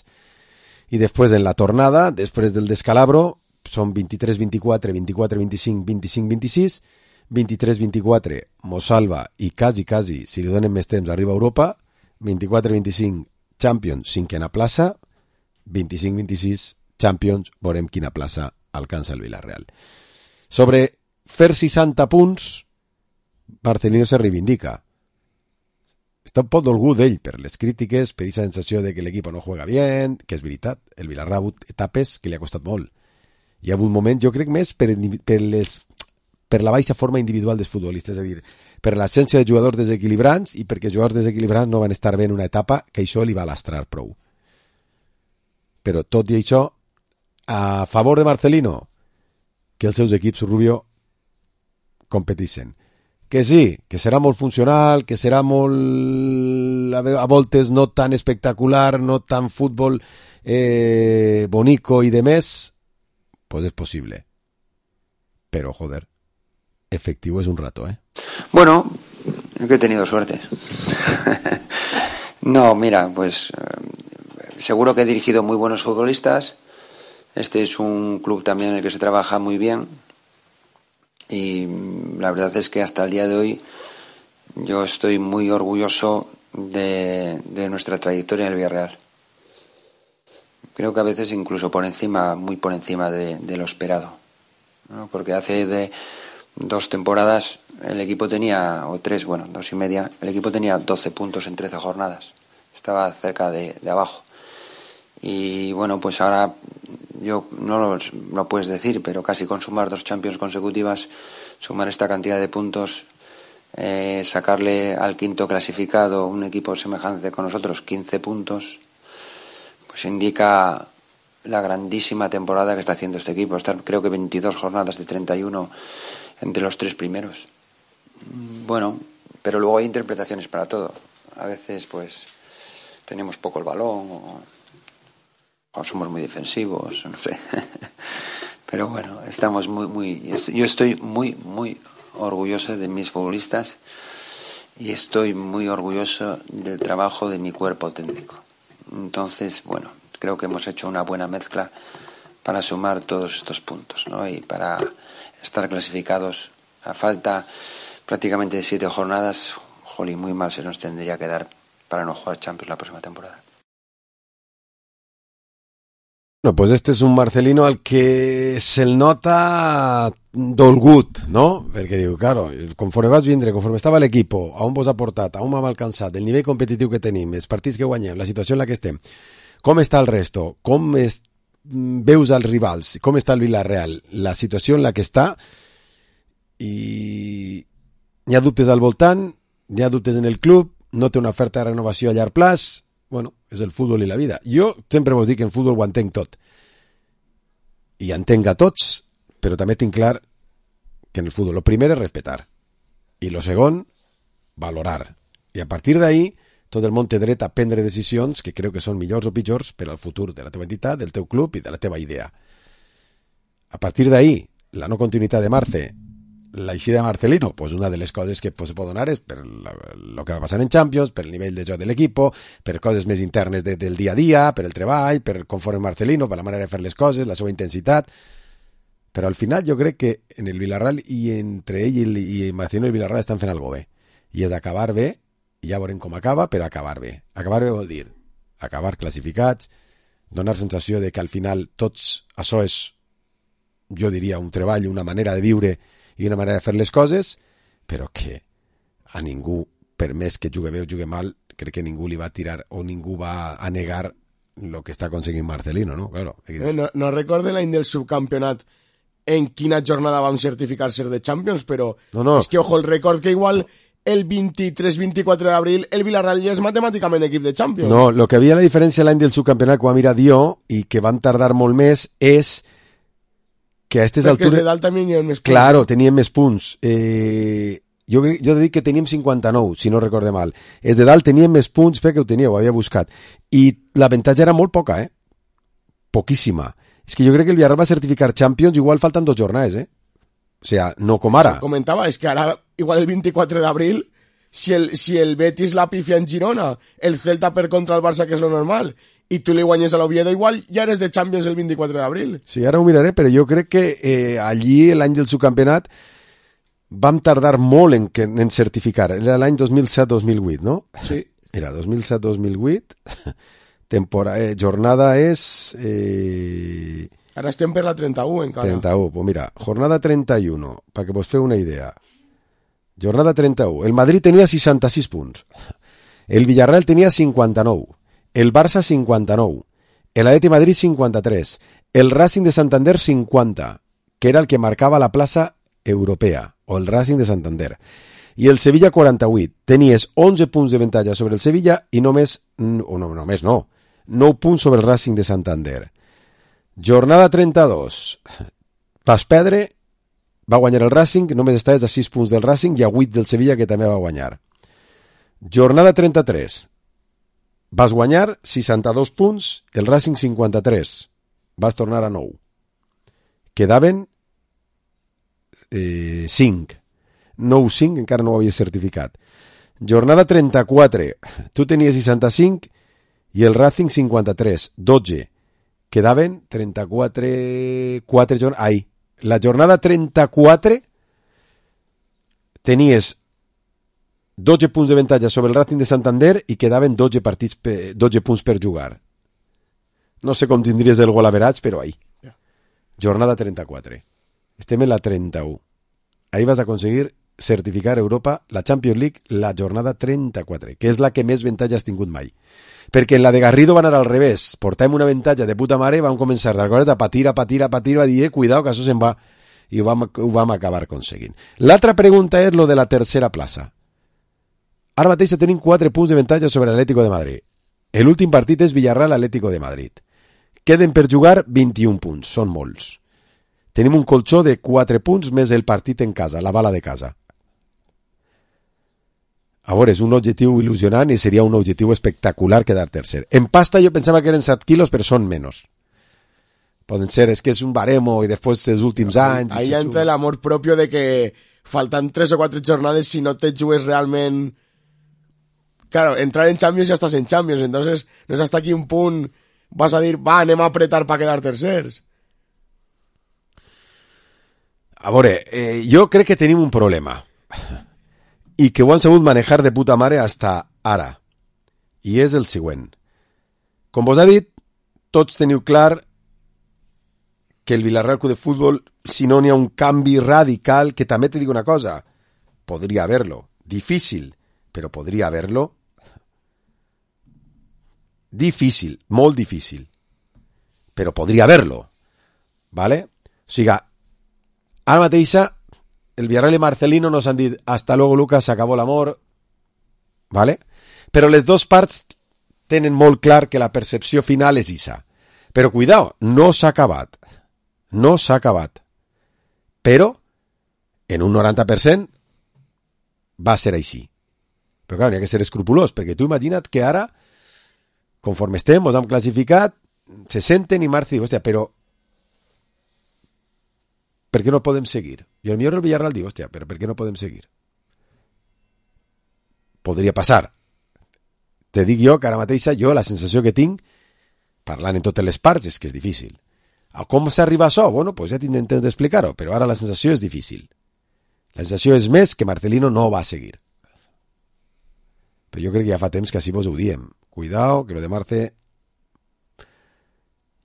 i després en la tornada, després del descalabro, són vint-i-tres vint-i-quatre, vint-i-quatre vint-i-cinc, vint-i-cinc vint-i-sis, vint-i-tres vint-i-quatre, mos salva i quasi, quasi, si li donen més temps, arriba a Europa, vint-i-quatre vint-i-cinc, Champions, cinquena plaça, vint-i-cinc vint-i-sis, Champions, veurem quina plaça alcança el Villarreal. Sobre fer seixanta punts, Marcelino se reivindica. Està un poc dolgut d'ell per les crítiques, per aquesta sensació de que l'equip no juega bien, que és veritat, el Villarreal ha hagut etapes que li ha costat molt. Hi ha hagut moments, jo crec, més per, per, les, per la baixa forma individual dels futbolistes, és a dir, per l'absència de jugadors desequilibrants i perquè els jugadors desequilibrants no van estar bé en una etapa que això li va lastrar prou. Però tot i això, a favor de Marcelino, que els seus equips Rubio competeixen. Que sí, que serà molt funcional, que serà molt a voltes no tan espectacular, no tan futbol eh, bonico i de més, pues és possible. Pero, joder, efectivo es un rato, ¿eh? Bueno, yo que he tenido suerte. No, mira, pues seguro que he dirigido muy buenos futbolistas. Este es un club también en el que se trabaja muy bien. Y la verdad es que hasta el día de hoy yo estoy muy orgulloso de, de nuestra trayectoria en el Villarreal. Creo que a veces incluso por encima, muy por encima de, de lo esperado, ¿no? Porque hace de dos temporadas el equipo tenía, o tres, bueno, dos y media, el equipo tenía doce puntos en trece jornadas. Estaba cerca de, de abajo. Y bueno, pues ahora yo no lo, lo puedes decir, pero casi con sumar dos Champions consecutivas, sumar esta cantidad de puntos, eh, sacarle al quinto clasificado, un equipo semejante con nosotros, quince puntos, pues indica la grandísima temporada que está haciendo este equipo. Estar, creo que veintidós jornadas de treinta y uno entre los tres primeros. Bueno, pero luego hay interpretaciones para todo. A veces pues tenemos poco el balón o, o somos muy defensivos, no sé. Pero bueno, estamos muy, muy... Yo estoy muy, muy orgulloso de mis futbolistas y estoy muy orgulloso del trabajo de mi cuerpo técnico. Entonces, bueno, creo que hemos hecho una buena mezcla para sumar todos estos puntos, ¿no? Y para estar clasificados a falta prácticamente de siete jornadas, jolín, muy mal se nos tendría que dar para no jugar Champions la próxima temporada. Bueno, pues este és un Marcelino al que se'l nota dolgut, no? Perquè diu, claro, conforme vas vindre, conforme estava l'equip, a on vos ha portat, a on m'ha alcançat, el nivell competitiu que tenim, els partits que guanyem, la situació en la que estem, com està el resto, com es, veus els rivals, com està el Villarreal, la situació en la que està, i hi ha dubtes al voltant, hi ha dubtes en el club, no té una oferta de renovació a llarg plaç. Bueno, és el futbol i la vida. Jo sempre vos dic que en futbol ho entenc tot. I entenc a tots, però també tinc clar que en el futbol el primer és respetar. I el segon, valorar. I a partir d'ahí, tot el món té dret a prendre decisions que crec que són millors o pitjors per al futur de la teva entitat, del teu club i de la teva idea. A partir d'ahí, la no continuïtat de Marce, la eixida de Marcelino, pues una de les coses que pues, se pot donar és per el que va passar en Champions, per el nivell de joc de l'equip, per coses més internes de, del dia a dia, per el treball, per conforme Marcelino, per la manera de fer les coses, la seva intensitat. Però al final jo crec que en el Villarreal i entre ell i, i Marcelino i el Villarreal estan fent alguna bé. I és acabar bé, i ja veurem com acaba, però acabar bé. Acabar bé vol dir acabar classificats, donar sensació de que al final tots això és, jo diria, un treball, una manera de viure i una manera de fer les coses, però que a ningú, per més que jugue bé o jugue mal, crec que ningú li va tirar o ningú va a negar el que està aconseguint Marcelino, no? Claro. Eh, no, no recordo l'any del subcampionat en quina jornada vam certificar ser de Champions, però no, no. És que, ojo, el record que igual el vint-i-tres vint-i-quatre d'abril el Villarreal ja és matemàticament equip de Champions. No, el que havia la diferència l'any del subcampionat que va mirar Dio i que van tardar molt més és que a aquestes altures... Perquè de dalt també hi ha més punts. Claro, teníem més punts. Eh, jo, jo dic que teníem cinquanta-nou, si no recorde mal. Els de dalt teníem més punts, fe que ho teníeu, ho havia buscat. I l'avantatge era molt poca, eh? Poquíssima. És que jo crec que el Villarreal va certificar Champions, igual falten dos jornades, eh? O sea, no com ara. Se comentava, és que ara, igual el vint-i-quatre d'abril, si el, si el Betis la pifia en Girona, el Celta per contra el Barça, que és lo normal, i tu li guanyes a l'Oviedo, igual ja eres de Champions el vint-i-quatre d'abril. Sí, ara ho miraré, però jo crec que eh, allí, l'any del subcampionat, vam tardar molt en, en certificar. Era l'any dos mil set dos mil vuit, no? Sí. Era dos mil set dos mil vuit. Temporada, eh, jornada és... Eh... Ara estem per la trenta-u encara. trenta-u, pues mira, jornada trenta i u, perquè vos feu una idea. Jornada trenta-u. El Madrid tenia seixanta-sis punts. El Villarreal tenia cinquanta-nou. El Barça cinquanta-nou, el Atleti Madrid cinquanta-tres, el Racing de Santander cinquanta, que era el que marcava la plaça europea, o el Racing de Santander, i el Sevilla quaranta-vuit. Tenies onze punts de avantatge sobre el Sevilla i només, o no, només no, nou punts sobre el Racing de Santander. Jornada trenta-dos, vas perdre, va guanyar el Racing, només estaves a sis punts del Racing i a vuit del Sevilla, que també va guanyar. Jornada trenta-tres, vas guanyar seixanta-dos punts, el Racing cinquanta-tres. Vas tornar a nou. Quedaven eh, cinc. nou cinc, encara no ho havies certificat. Jornada trenta-quatre. Tu tenies seixanta-cinc i el Racing cinquanta-tres. dotze. Quedaven trenta-quatre... quatre jornades. Ai, la jornada trenta-quatre tenies dotze punts d'avantatge sobre el Racing de Santander i quedaven dotze, partits pe, dotze punts per jugar. No sé com tindries el gol average, però ahí. Jornada trenta-quatre. Estem en la trenta-u. Ahí vas a aconseguir certificar a Europa la Champions League la jornada trenta-quatre, que és la que més avantatge has tingut mai. Perquè en la de Garrido van anar al revés. Portàvem una avantatge de puta mare i vam començar d'aleshores a patir, a patir, a patir, a dir, eh, cuidao, que això se'n va. I ho vam, ho vam acabar aconseguint. L'altra pregunta és lo de la tercera plaça. Ara mateix tenim quatre punts d'avantatge sobre l'Atlético de Madrid. L'últim partit és Villarreal-Atlético de Madrid. Queden per jugar vint-i-un punts, són molts. Tenim un colxó de quatre punts més el partit en casa, la bala de casa. A veure, és un objectiu il·lusionant i seria un objectiu espectacular quedar tercer. En pasta jo pensava que eren set quilos, però són menys. Poden ser, és que és un baremo i després dels últims anys... Ahí entra el amor propio de que faltan tres o quatre jornades, si no te jugues realment... Claro, entrar en Champions ja estàs en Champions, entonces no és hasta aquí un punt vas a dir, va, anem a apretar per quedar tercers. A veure, eh, jo crec que tenim un problema i que ho han sabut manejar de puta mare hasta ara, i és el següent. Com vos ha dit, tots teniu clar que el Villarreal Club de Futbol, si no n'hi ha un canvi radical, que també te dic una cosa, podria haver-lo, difícil, però podria haver-lo, difícil, molt difícil, però podria haver-lo, ¿vale? O sigui, ara mateixa, el Villarreal i Marcelino nos han dit hasta luego Lucas, se acabó l'amor, ¿vale? Però les dues parts tenen molt clar que la percepció final és isa. Però cuidao, no s'ha acabat. No s'ha acabat. Però, en un noranta per cent, va ser així. Però clar, n'hi ha que ser escrupulós, perquè tu imagina't que ara, conforme estem, ens hem classificat, se senten i Marci diu, hòstia, però per què no podem seguir? I el millor el Villarreal diu, hòstia, però per què no podem seguir? Podria passar. Te dic jo que ara mateixa, jo, la sensació que tinc, parlant en totes les parts, és que és difícil. A com s'arriba a això? Bueno, pues ja tindrem temps d'explicar-ho, però ara la sensació és difícil. La sensació és més que Marcelino no va seguir. Però jo crec que ja fa temps que així vos ho diem. Cuidao, que lo de Marce...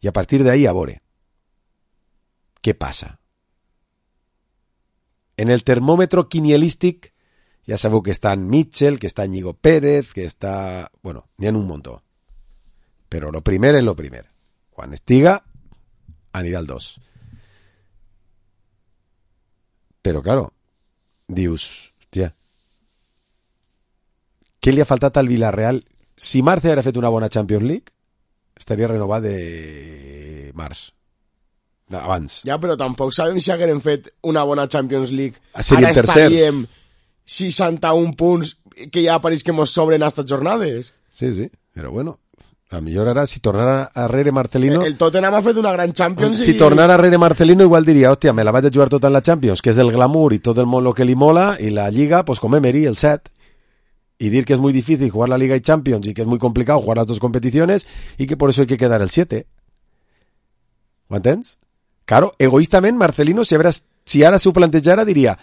I a partir d'ahí, a veure, què passa? En el termòmetre quinielístic ja sabeu que està en Mitchell, que està en Ñigo Pérez, que està... Bueno, n'hi ha un muntó. Però lo primer és lo primer. Quan estiga, anirà al dos. Però, claro, dius, hòstia, què li ha faltat al Villarreal? Si Marce haguera fet una bona Champions League, estaria renovat de març. Abans. Ja, però tampoc sabem si hagueren fet una bona Champions League. Serien Ara estaríem seixanta-un punts que ja pareix que mos sobren aquestes jornades. Sí, sí, però bueno, a millor ara si tornara a rere Marcelino... El Tottenham ha fet una gran Champions si i... tornara a rere Marcelino igual diria, hòstia, me la vaig a jugar tota en la Champions, que és el glamour i tot el món lo que li mola, i la Lliga, pues com Emery, el set. Y dir que es muy difícil jugar la Liga y Champions y que es muy complicado jugar las dos competiciones y que por eso hay que quedar el siete. ¿Ho entens? Claro, egoístament, Marcelino, si, habrás, si ara s'ho plantejara, diria,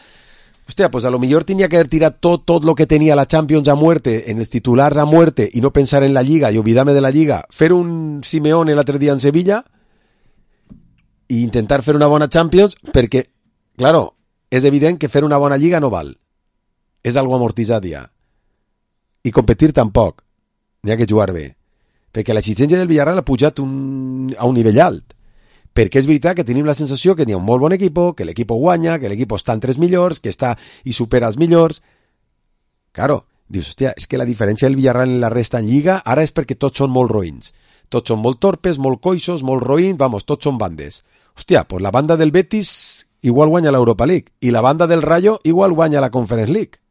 hòstia, pues a lo millor tenia que haver tirat tot, tot lo que tenia la Champions a muerte, en els titulars a muerte, y no pensar en la Lliga y olvidarme de la Lliga, fer un Simeone l'altre dia en Sevilla i intentar fer una bona Champions, perquè, claro, és evident que fer una bona Lliga no val. És algo amortitzat ja. I competir tampoc. N'hi ha que jugar bé. Perquè l'exigència del Villarreal ha pujat un, a un nivell alt. Perquè és veritat que tenim la sensació que n'hi ha un molt bon equip, que l'equip guanya, que l'equip està entre els millors, que està i supera els millors. Claro, dius, hòstia, és que la diferència del Villarreal en la resta en Lliga ara és perquè tots són molt roïns. Tots són molt torpes, molt coixos, molt roïns, vamos, tots són bandes. Hòstia, pues la banda del Betis igual guanya l'Europa League i la banda del Rayo igual guanya la Conference League.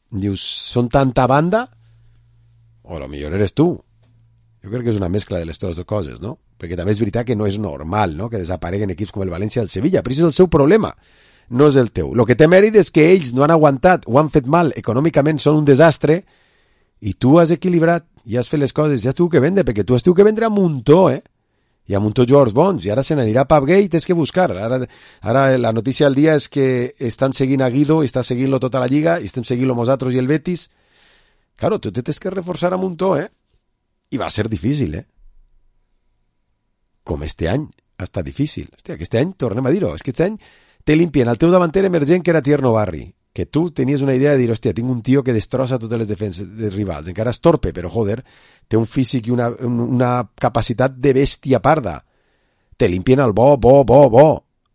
Dius, són tanta banda? O a lo millor eres tu. Jo crec que és una mescla de les dues coses, no? Perquè també és veritat que no és normal, no?, que desapareguen equips com el València i el Sevilla, però això és el seu problema, no és el teu. El que té mèrit és que ells no han aguantat, ho han fet mal, econòmicament són un desastre, i tu has equilibrat i has fet les coses, ja has tingut que vendre, perquè tu has tingut que vendre a muntó, eh? i amb un tots jugadors bons, i ara se n'anirà a Pap Gay, tens que buscar. Ara, ara la notícia del dia és que estan seguint a Guido, està seguint-lo tota la lliga, i estem seguint-lo nosaltres i el Betis. Claro, tu te tens que reforçar a muntó, eh? I va ser difícil, eh? Com este any ha estat difícil. Hòstia, aquest any, tornem a dir-ho, és que aquest any te limpien el teu davanter emergent, que era Tierno Barri, que tu tenies una idea de dir, hòstia, tinc un tio que destrossa totes les defenses de rivals, encara és torpe, però joder, té un físic i una, una capacitat de bèstia parda. Te limpien el bo, bo, bo, bo,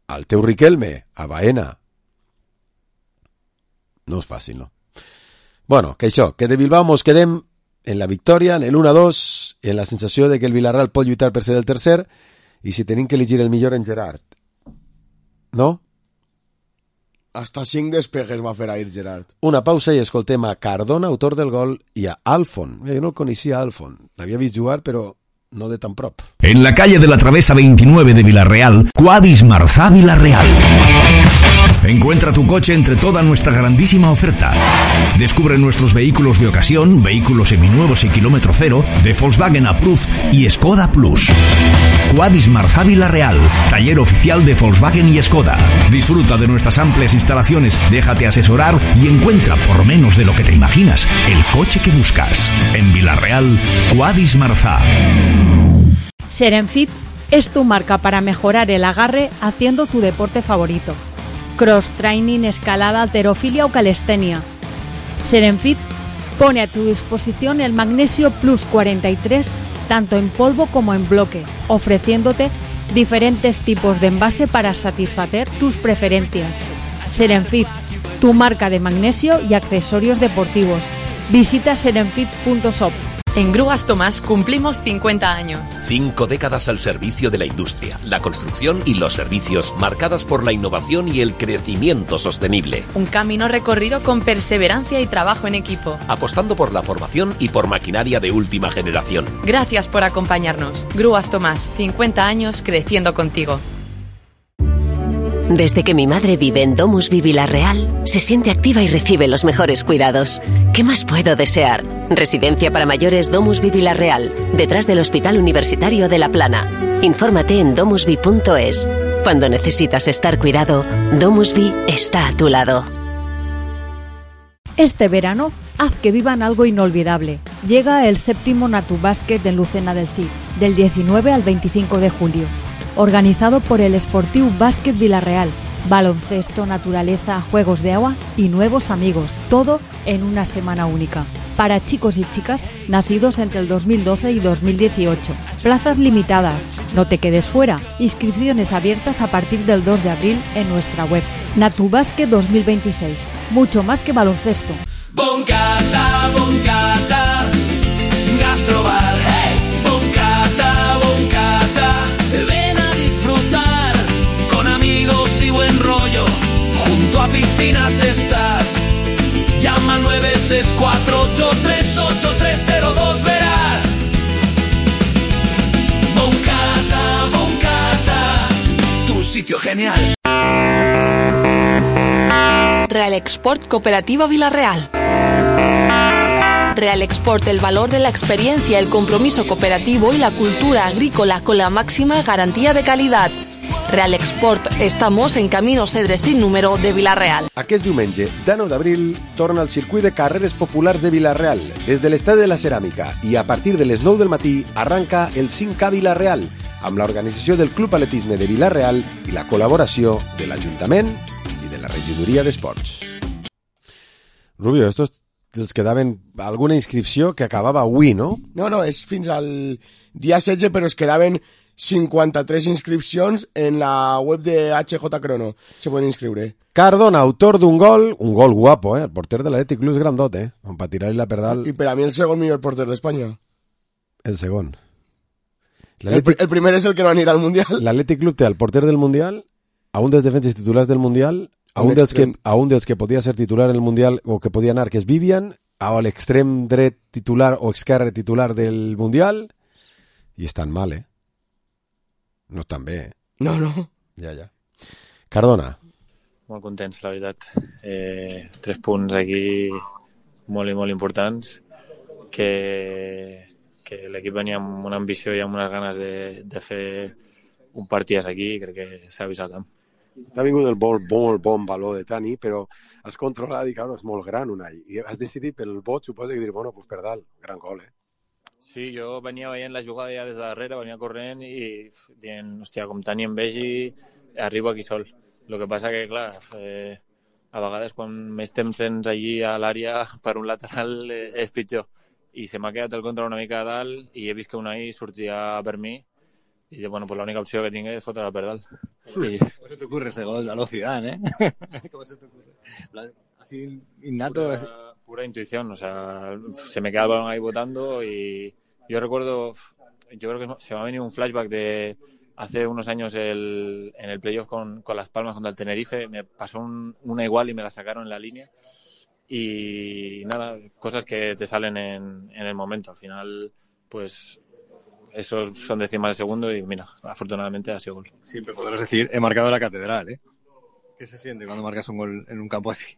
al teu Riquelme, a Baena. No és fàcil, no? Bueno, que això, que de Bilbao mos quedem en la victòria, en el uno a dos, en la sensació de que el Villarreal pot lluitar per ser el tercer, i si tenim que elegir el millor en Gerard. No? Hasta cinc despejes va fer ahir Gerard. Una pausa i escoltem a Cardona, autor del gol, i a Alfon. Jo no el coneixia, Alfon. L'havia vist jugar, però no de tan prop. En la calle de la Travesa veintinueve de Villarreal, Quadis Marzá Villarreal. Encuentra tu coche entre toda nuestra grandísima oferta. Descubre nuestros vehículos de ocasión, vehículos seminuevos y kilómetro cero, de Volkswagen Approved y Skoda Plus. Quadis Marzá Villarreal, taller oficial de Volkswagen y Skoda. Disfruta de nuestras amplias instalaciones, déjate asesorar y encuentra, por menos de lo que te imaginas, el coche que buscas. En Villarreal, Quadis Marzá. Serenfit es tu marca para mejorar el agarre haciendo tu deporte favorito. Cross training, escalada, halterofilia o calistenia. Serenfit pone a tu disposición el Magnesio Plus cuarenta y tres tanto en polvo como en bloque, ofreciéndote diferentes tipos de envase para satisfacer tus preferencias. Serenfit, tu marca de magnesio y accesorios deportivos. Visita serenfit punto shop. En Grúas Tomás cumplimos cincuenta años. Cinco décadas al servicio de la industria, la construcción y los servicios, marcadas por la innovación y el crecimiento sostenible. Un camino recorrido con perseverancia y trabajo en equipo. Apostando por la formación y por maquinaria de última generación. Gracias por acompañarnos. Grúas Tomás, cincuenta años creciendo contigo. Desde que mi madre vive en Domusvi Villarreal, se siente activa y recibe los mejores cuidados. ¿Qué más puedo desear? Residencia para mayores Domusvi Villarreal, detrás del Hospital Universitario de La Plana. Infórmate en domusvi punto es. Cuando necesitas estar cuidado, Domusvi está a tu lado. Este verano, haz que vivan algo inolvidable. Llega el séptimo Natu Básquet en Lucena del Cid, del diecinueve al veinticinco de julio. Organizado por el Sportiu Básquet Villarreal. Baloncesto, naturaleza, juegos de agua y nuevos amigos. Todo en una semana única. Para chicos y chicas nacidos entre el dos mil doce y dos mil dieciocho. Plazas limitadas. No te quedes fuera. Inscripciones abiertas a partir del dos de abril en nuestra web. Natu Básquet dos mil veintiséis. Mucho más que baloncesto. Boncata, boncata, gastrobar. Hey. Boncata, boncata. Ven a disfrutar con amigos y buen rollo. Junto a piscinas estás. Llama al nueve seis cuatro ocho tres ocho tres cero dos, verás. Boncata, boncata, tu sitio genial. Real Export Cooperativa Villarreal. Real Export, el valor de la experiencia, el compromiso cooperativo y la cultura agrícola con la máxima garantía de calidad. Real Export, estamos en Camino Cedre sin número de Villarreal. Aquest diumenge, de nou d'abril, torna al circuit de carreres populars de Villarreal. Des de l'Estadi de la Ceràmica i a partir de les nou del matí arranca el cinc K Villarreal, amb l'organització del Club Atletisme de Villarreal i la col·laboració de l'Ajuntament i de la Regidoria d'Esports. Rubio, estos els quedaven alguna inscripció que acabava avui, no? No, no, és fins al dia setze, però es quedaven cinquanta-tres inscripcions en la web de H J Crono. Se poden inscriure. Cardona, autor d'un gol, un gol guapo, eh? El porter de l'Atlètic Club és grandot, eh? Com per tirar-li la perdal. I per a mi el segon millor porter d'Espanya. El segon. El, el primer és el que no anirà al Mundial. L'Atlètic Club té el porter del Mundial, a un dels defenses titulars del Mundial, a un, dels que, a un dels que podia ser titular en el Mundial o que podia anar, que és Vivian, a l'extrem dret titular o esquerre titular del Mundial, i estan mal, eh? No estan bé, eh? No, no. Ja, ja. Cardona. Molt contents, la veritat. Eh, tres punts aquí molt i molt importants que que l'equip venia amb una ambició i amb unes ganes de, de fer un partidàs aquí i crec que s'ha vist al camp. T'ha vingut el bon, bon, bon valor de Tani, però has controlat i, claro, és molt gran, Unai. I has decidit pel vot, suposa, que dir, bueno, pues per dalt, gran gol, eh? Sí, jo venia veient la jugada ja des de darrere, venia corrent i dient, hòstia, com Tani em vegi, arribo aquí sol. El que passa que, clar, eh, a vegades quan més temps tens allí a l'àrea per un lateral eh, és pitjor. I se m'ha quedat el control una mica a dalt i he vist que Unai sortia per mi y dice, bueno, pues la única opción que tengo es fotre la per dalt. Y... ¿Cómo se te ocurre ese gol? A lo Zidane, ¿eh? ¿Cómo se te ocurre? Así innato. Pura, pura intuición, o sea, se me queda el balón ahí botando y yo recuerdo, yo creo que se me ha venido un flashback de hace unos años el, en el playoff con, con Las Palmas contra el Tenerife, me pasó un, una igual y me la sacaron en la línea. Y nada, cosas que te salen en, en el momento. Al final, pues, esos son décimas de segundo y mira, afortunadamente ha sido gol. Siempre podrás decir, he marcado la catedral, ¿eh? ¿Qué se siente cuando marcas un gol en un campo así?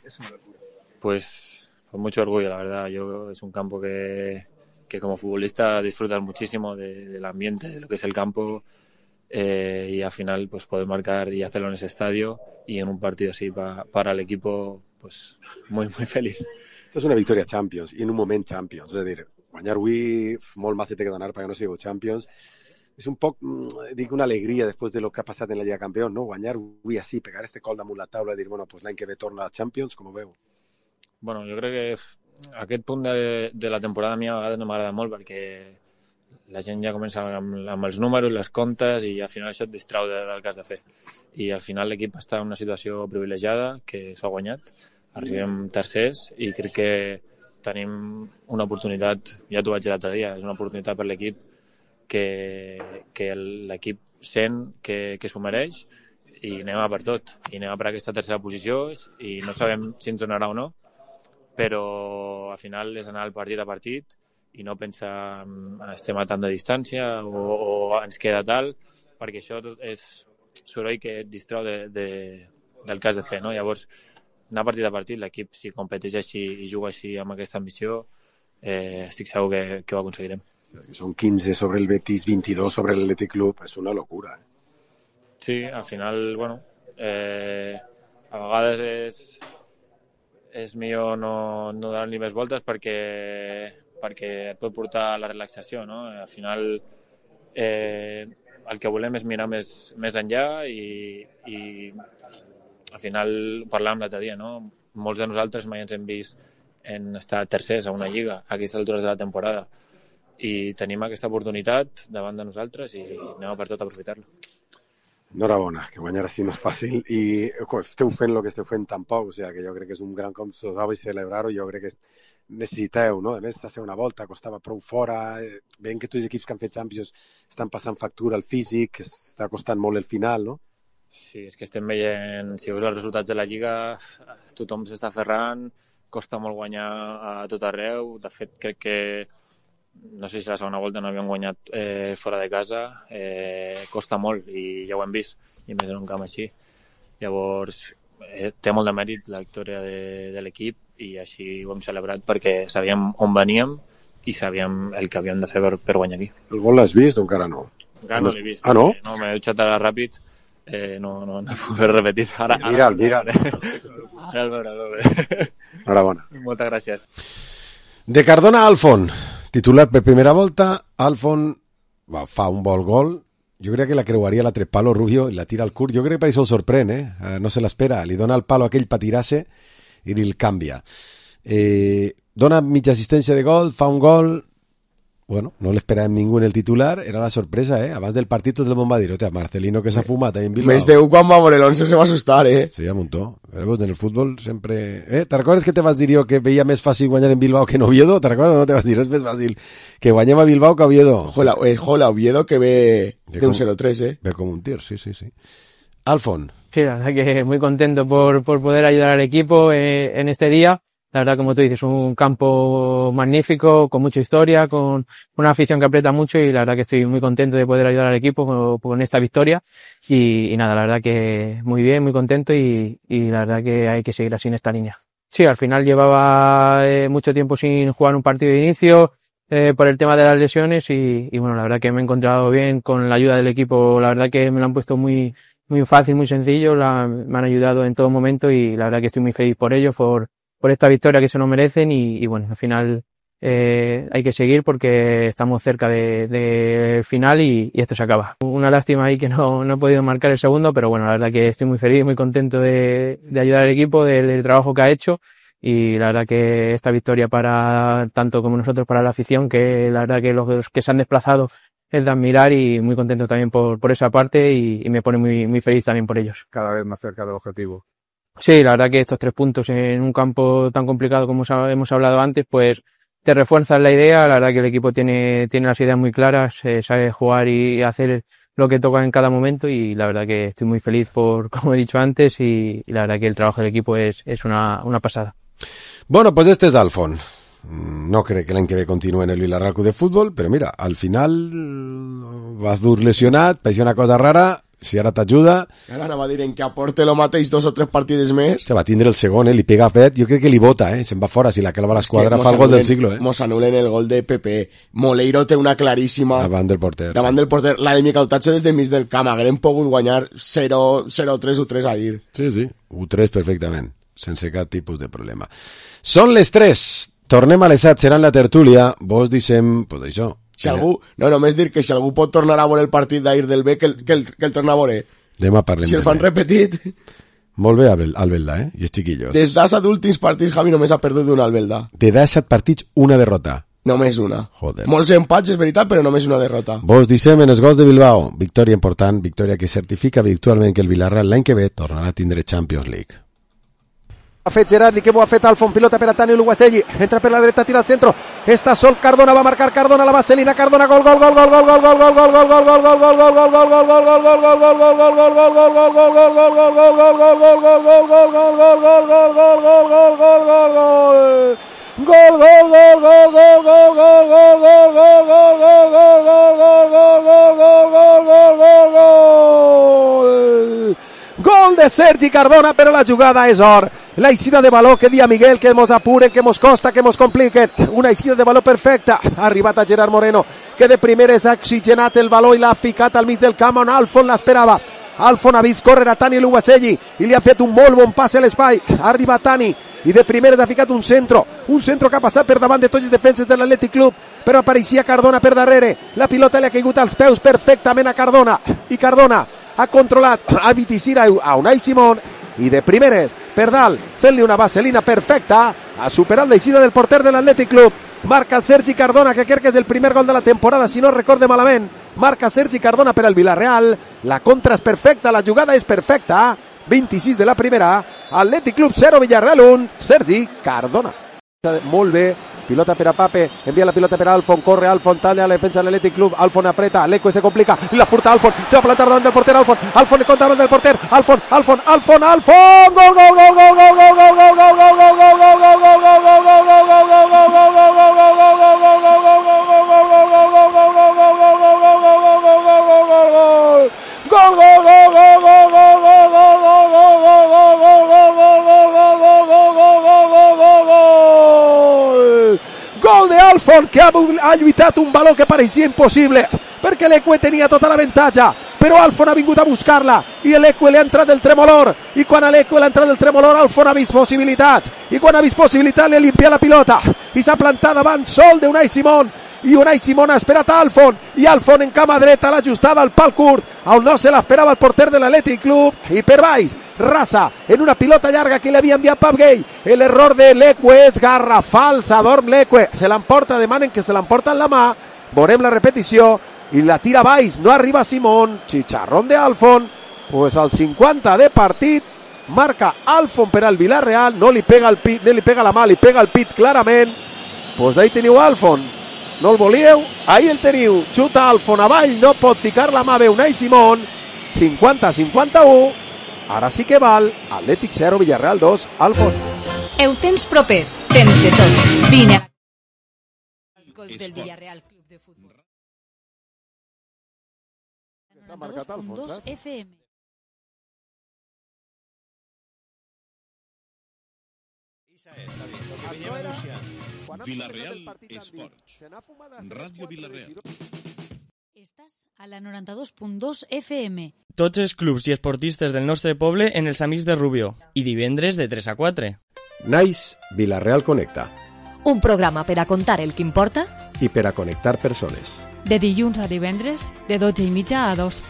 Es una locura. Pues, con mucho orgullo, la verdad. Yo es un campo que, que como futbolista disfrutas muchísimo de, del ambiente, de lo que es el campo. Eh, y al final, pues, poder marcar y hacerlo en ese estadio y en un partido así pa, para el equipo, pues muy, muy feliz. Esto és una victòria Champions, i en un moment Champions. És a dir, guanyar avui, molt más se té que donar perquè no sigui Champions. És un poc, dic, una alegria després de lo que ha passat en la Lliga Campeón, no? Guanyar avui així, pegar este col damunt la taula i dir, bueno, pues l'any que ve torna a Champions, com ho veu? Bueno, jo crec que aquest punt de, de la temporada a mi a vegades no m'agrada molt perquè la gent ja comença amb, amb els números, les comptes i al final això et distrau de, del que has de fer. I al final l'equip està en una situació privilegiada que s'ha guanyat. Arribem tercers i crec que tenim una oportunitat, ja t'ho vaig dir l'altre dia, és una oportunitat per l'equip que, que l'equip sent que, que s'ho mereix i anem a per tot. I anem a per aquesta tercera posició i no sabem si ens donarà o no, però al final és anar partit a partit i no pensar estem a tant de distància o, o ens queda tal, perquè això és soroll que et distrau de, de, del que has de fer, no? Llavors, anar partit a partit, l'equip si competeix així i juga així amb aquesta ambició, eh, estic segur que, que ho aconseguirem. Són quinze sobre el Betis, vint-i-dos sobre l'Atlètic Club, és una locura. Eh? Sí, al final, bueno, eh, a vegades és, és millor no, no donar-li més voltes perquè perquè et pot portar a la relaxació, no? Al final eh, el que volem és mirar més, més enllà i, i al final parlàvem l'altre dia, no? Molts de nosaltres mai ens hem vist en estar tercers a una lliga a aquestes altures de la temporada i tenim aquesta oportunitat davant de nosaltres i anem a per tot a aprofitar-lo. Enhorabona, que guanyar així no és fàcil i esteu fent el que esteu fent tampoc, o sigui que jo crec que és un gran com s'ho i celebrar-ho, jo crec que necessiteu, no? A més, esta segona volta costava prou fora, veient que tots els equips que han fet Champions estan passant factura al físic, que està costant molt el final, no? Sí, és que estem veient, si veus els resultats de la Lliga, tothom s'està aferrant, costa molt guanyar a tot arreu, de fet crec que no sé si la segona volta no havíem guanyat eh, fora de casa, eh, costa molt i ja ho hem vist, i més en un camp així. Llavors, eh, té molt de mèrit la victòria de, de l'equip i així ho hem celebrat perquè sabíem on veníem i sabíem el que havíem de fer per, per guanyar aquí. El gol l'has vist o encara no? Encara no l'he vist. Ah, no? No, m'he dutxat ara ràpid, eh, no, no, no puc fer repetit. Ara, ara, mira'l, mira'l. Ara el veure, el veure. Enhorabona. Moltes gràcies. De Cardona a Alfon, titular per primera volta, Alfon va, fa un bon gol. Jo crec que la creuaria l'altre palo Rubio i la tira al curt. Jo crec que per això el sorprèn, eh? No se l'espera. Li dona el palo aquell per tirar-se i li el canvia. Eh, dona mitja assistència de gol, fa un gol. Bueno, no l'esperàvem ningú en el titular, era la sorpresa, eh? Abans del partit tot el món va dir, hòstia, Marcelino que s'ha fumat ahí en Bilbao. Més de un quan va veure l'once se va assustar, eh? Sí, a muntó. Però en el futbol sempre... Eh? ¿Te recordes que te vas dir jo que veia més fàcil guanyar en Bilbao que en Oviedo? ¿Te recordes? No te vas dir, és més fàcil que guanyem a Bilbao que a Oviedo. Jola, eh, jola Oviedo que ve de un cero tres, eh? Ve como un tir, sí, sí, sí. Alfon. Sí, la verdad que muy contento por, por poder ayudar al equipo eh, en este día. La verdad, como tú dices, un campo magnífico, con mucha historia, con una afición que aprieta mucho y la verdad que estoy muy contento de poder ayudar al equipo con, con esta victoria y, y nada, la verdad que muy bien, muy contento y, y la verdad que hay que seguir así en esta línea. Sí, al final llevaba eh, mucho tiempo sin jugar un partido de inicio, eh, por el tema de las lesiones y, y bueno, la verdad que me he encontrado bien con la ayuda del equipo, la verdad que me lo han puesto muy, muy fácil, muy sencillo, la, me han ayudado en todo momento y la verdad que estoy muy feliz por ello, por, por esta victoria que se lo merecen y, y bueno, al final eh, hay que seguir porque estamos cerca del de, de final y, y esto se acaba. Una lástima ahí que no, no he podido marcar el segundo, pero bueno, la verdad que estoy muy feliz, muy contento de, de ayudar al equipo, del, del trabajo que ha hecho y la verdad que esta victoria para tanto como nosotros, para la afición, que la verdad que los, los que se han desplazado es de admirar y muy contento también por, por esa parte y, y me pone muy, muy feliz también por ellos. Cada vez más cerca del objetivo. Sí, la verdad que estos tres puntos en un campo tan complicado como hemos hablado antes, pues te refuerzan la idea, la verdad que el equipo tiene, tiene las ideas muy claras, eh, sabe jugar y hacer lo que toca en cada momento y la verdad que estoy muy feliz por, como he dicho antes, y, y la verdad que el trabajo del equipo es, es una, una pasada. Bueno, pues este es Alfon. No cree que l'any que ve continua en el Villarreal Club de Futbol, però mira, al final vas dur lesionat, paeixia una cosa rara, si ara t'ajuda... Ara anava a dir en que aporte lo mateix dos o tres partides més. Se va tindre el segon, eh? Li pega a Pet, jo crec que li bota, eh? Se'n va fora, si la clava a l'esquadra fa el gol del siglo, eh? Mos anulen el gol de Pepe. Moleiro té una claríssima... Davant del porter. Davant del porter. La de Micautatge des de mig del camp. Haguem pogut guanyar zero tres u tres ahir. Sí, sí, u tres perfectament, sense cap tipus de problema. Són les tres. Tornem a les set, serà en la tertúlia. Vos dissem, pues això. Si algú, no, només dir que si algú pot tornar a veure el partit d'ahir del B, que el, que el, que el torna a veure. Demà parlem. Si el fan repetit. Molt bé, Albelda, eh? I els chiquillos. Des d'assa d'últims partits, Javi només ha perdut una Albelda. De set partits, una derrota. Només una. Joder. Molts empats, és veritat, però només una derrota. Vos dissem en els gols de Bilbao. Victòria important, victòria que certifica virtualment que el Villarreal l'any que ve tornarà a tindre Champions League. Ha fet Gerardi, que bo ha fet Alfon, pilota per a Tani Luguaselli, entra per la dreta, tira al centro, està sol Cardona, va marcar Cardona, la vaselina, Cardona, gol, gol, gol, gol, gol, gol, gol, gol, gol, gol, gol, gol, gol, gol, gol, gol, gol de Sergi Cardona, però la jugada és or. La eixida de baló que dia Miguel, que mos apuren, que mos costa, que mos compliquen. Una eixida de baló perfecta. Ha arribat a Gerard Moreno, que de primeres ha oxigenat el baló i l'ha ficat al mig del camp on Alfon l'esperava. Alfon ha vist córrer a Tani Luguaselli i li ha fet un molt bon pas a l'espai. Ha arribat Tani i de primeres ha ficat un centro. Un centro que ha passat per davant de tots els defenses de l'Atlètic Club, però apareixia Cardona per darrere. La pilota li ha caigut als peus perfectament a Cardona. I Cardona ha controlat a Viticira a Unai Simón i de primeres per dalt fent-li una vaselina perfecta, ha superat l'eixida del porter de l'Atlètic Club. Marca el Sergi Cardona, que crec que és el primer gol de la temporada, si no recorde malament. Marca Sergi Cardona per al Villarreal. La contra és perfecta, la jugada és perfecta. vint-i-sis de la primera, Atlètic Club zero, Villarreal un, Sergi Cardona. Molt bé, pilota per a Pape, envia la pilota per a Alfon, corre Alfon, talla a la defensa de l'Atlètic Club, Alfon apreta, Leque se complica, la furta Alfon, se va a plantar davant del porter Alfon, Alfon contra davant del porter, Alfon, Alfon, Alfon, Alfon, gol, gol, gol, gol, gol, gol, gol, gol, gol, gol, gol de Alfon, que ha, ha lluitat un valor que pareixia impossible perquè l'Eque tenia tota l'avantatge, però Alfon ha vingut a buscar-la i l'Eque li ha entrat el tremolor, i quan a l'Eque li ha entrat el tremolor Alfon ha vist possibilitats, i quan ha vist possibilitats li ha limpiat la pilota i s'ha plantat davant sol d'Unai Simón, i Unai Simón ha esperat a Alfon, i Alfon en cama dreta l'ha ajustada al pal curt, on no se l'esperava el porter de l'Atlètic Club, i per baix rasa en una pilota llarga que li havia enviat Pap Gay. L'error de l'Eque és garrafal, s'adorm l'Eque, se l'emporta, demanen que se l'emporta en la mà, veurem la repetició, i la tira baix, no arriba Simón, chicharrón de Alfon, pues al cinquanta de partit, marca Alfon per al Villarreal, no li pega el pit, no li pega la mà, li pega el pit clarament, pues ahí teniu Alfon, no el volíeu, ahí el teniu, xuta Alfon avall, no pot ficar la mà bé Unai Simón, cinquanta a cinquanta-u, ara sí que val, Atlètic zero, Villarreal dos, Alfon. Ho tens proper, tens de tot, vine a... Els gols del Villarreal Club de Futbol. noranta-dos punt dos F M. Villarreal Esports. Ràdio Villarreal. Estàs a la noranta-dos punt dos F M. Tots els clubs i esportistes del nostre poble en els Amics de Rubió. I divendres de tres a quatre. Nice Villarreal Connecta. Un programa per a contar el que importa i per a connectar persones. De dilluns a divendres, de dotze i mitja a dos.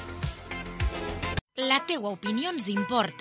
La teua opinió ens importa.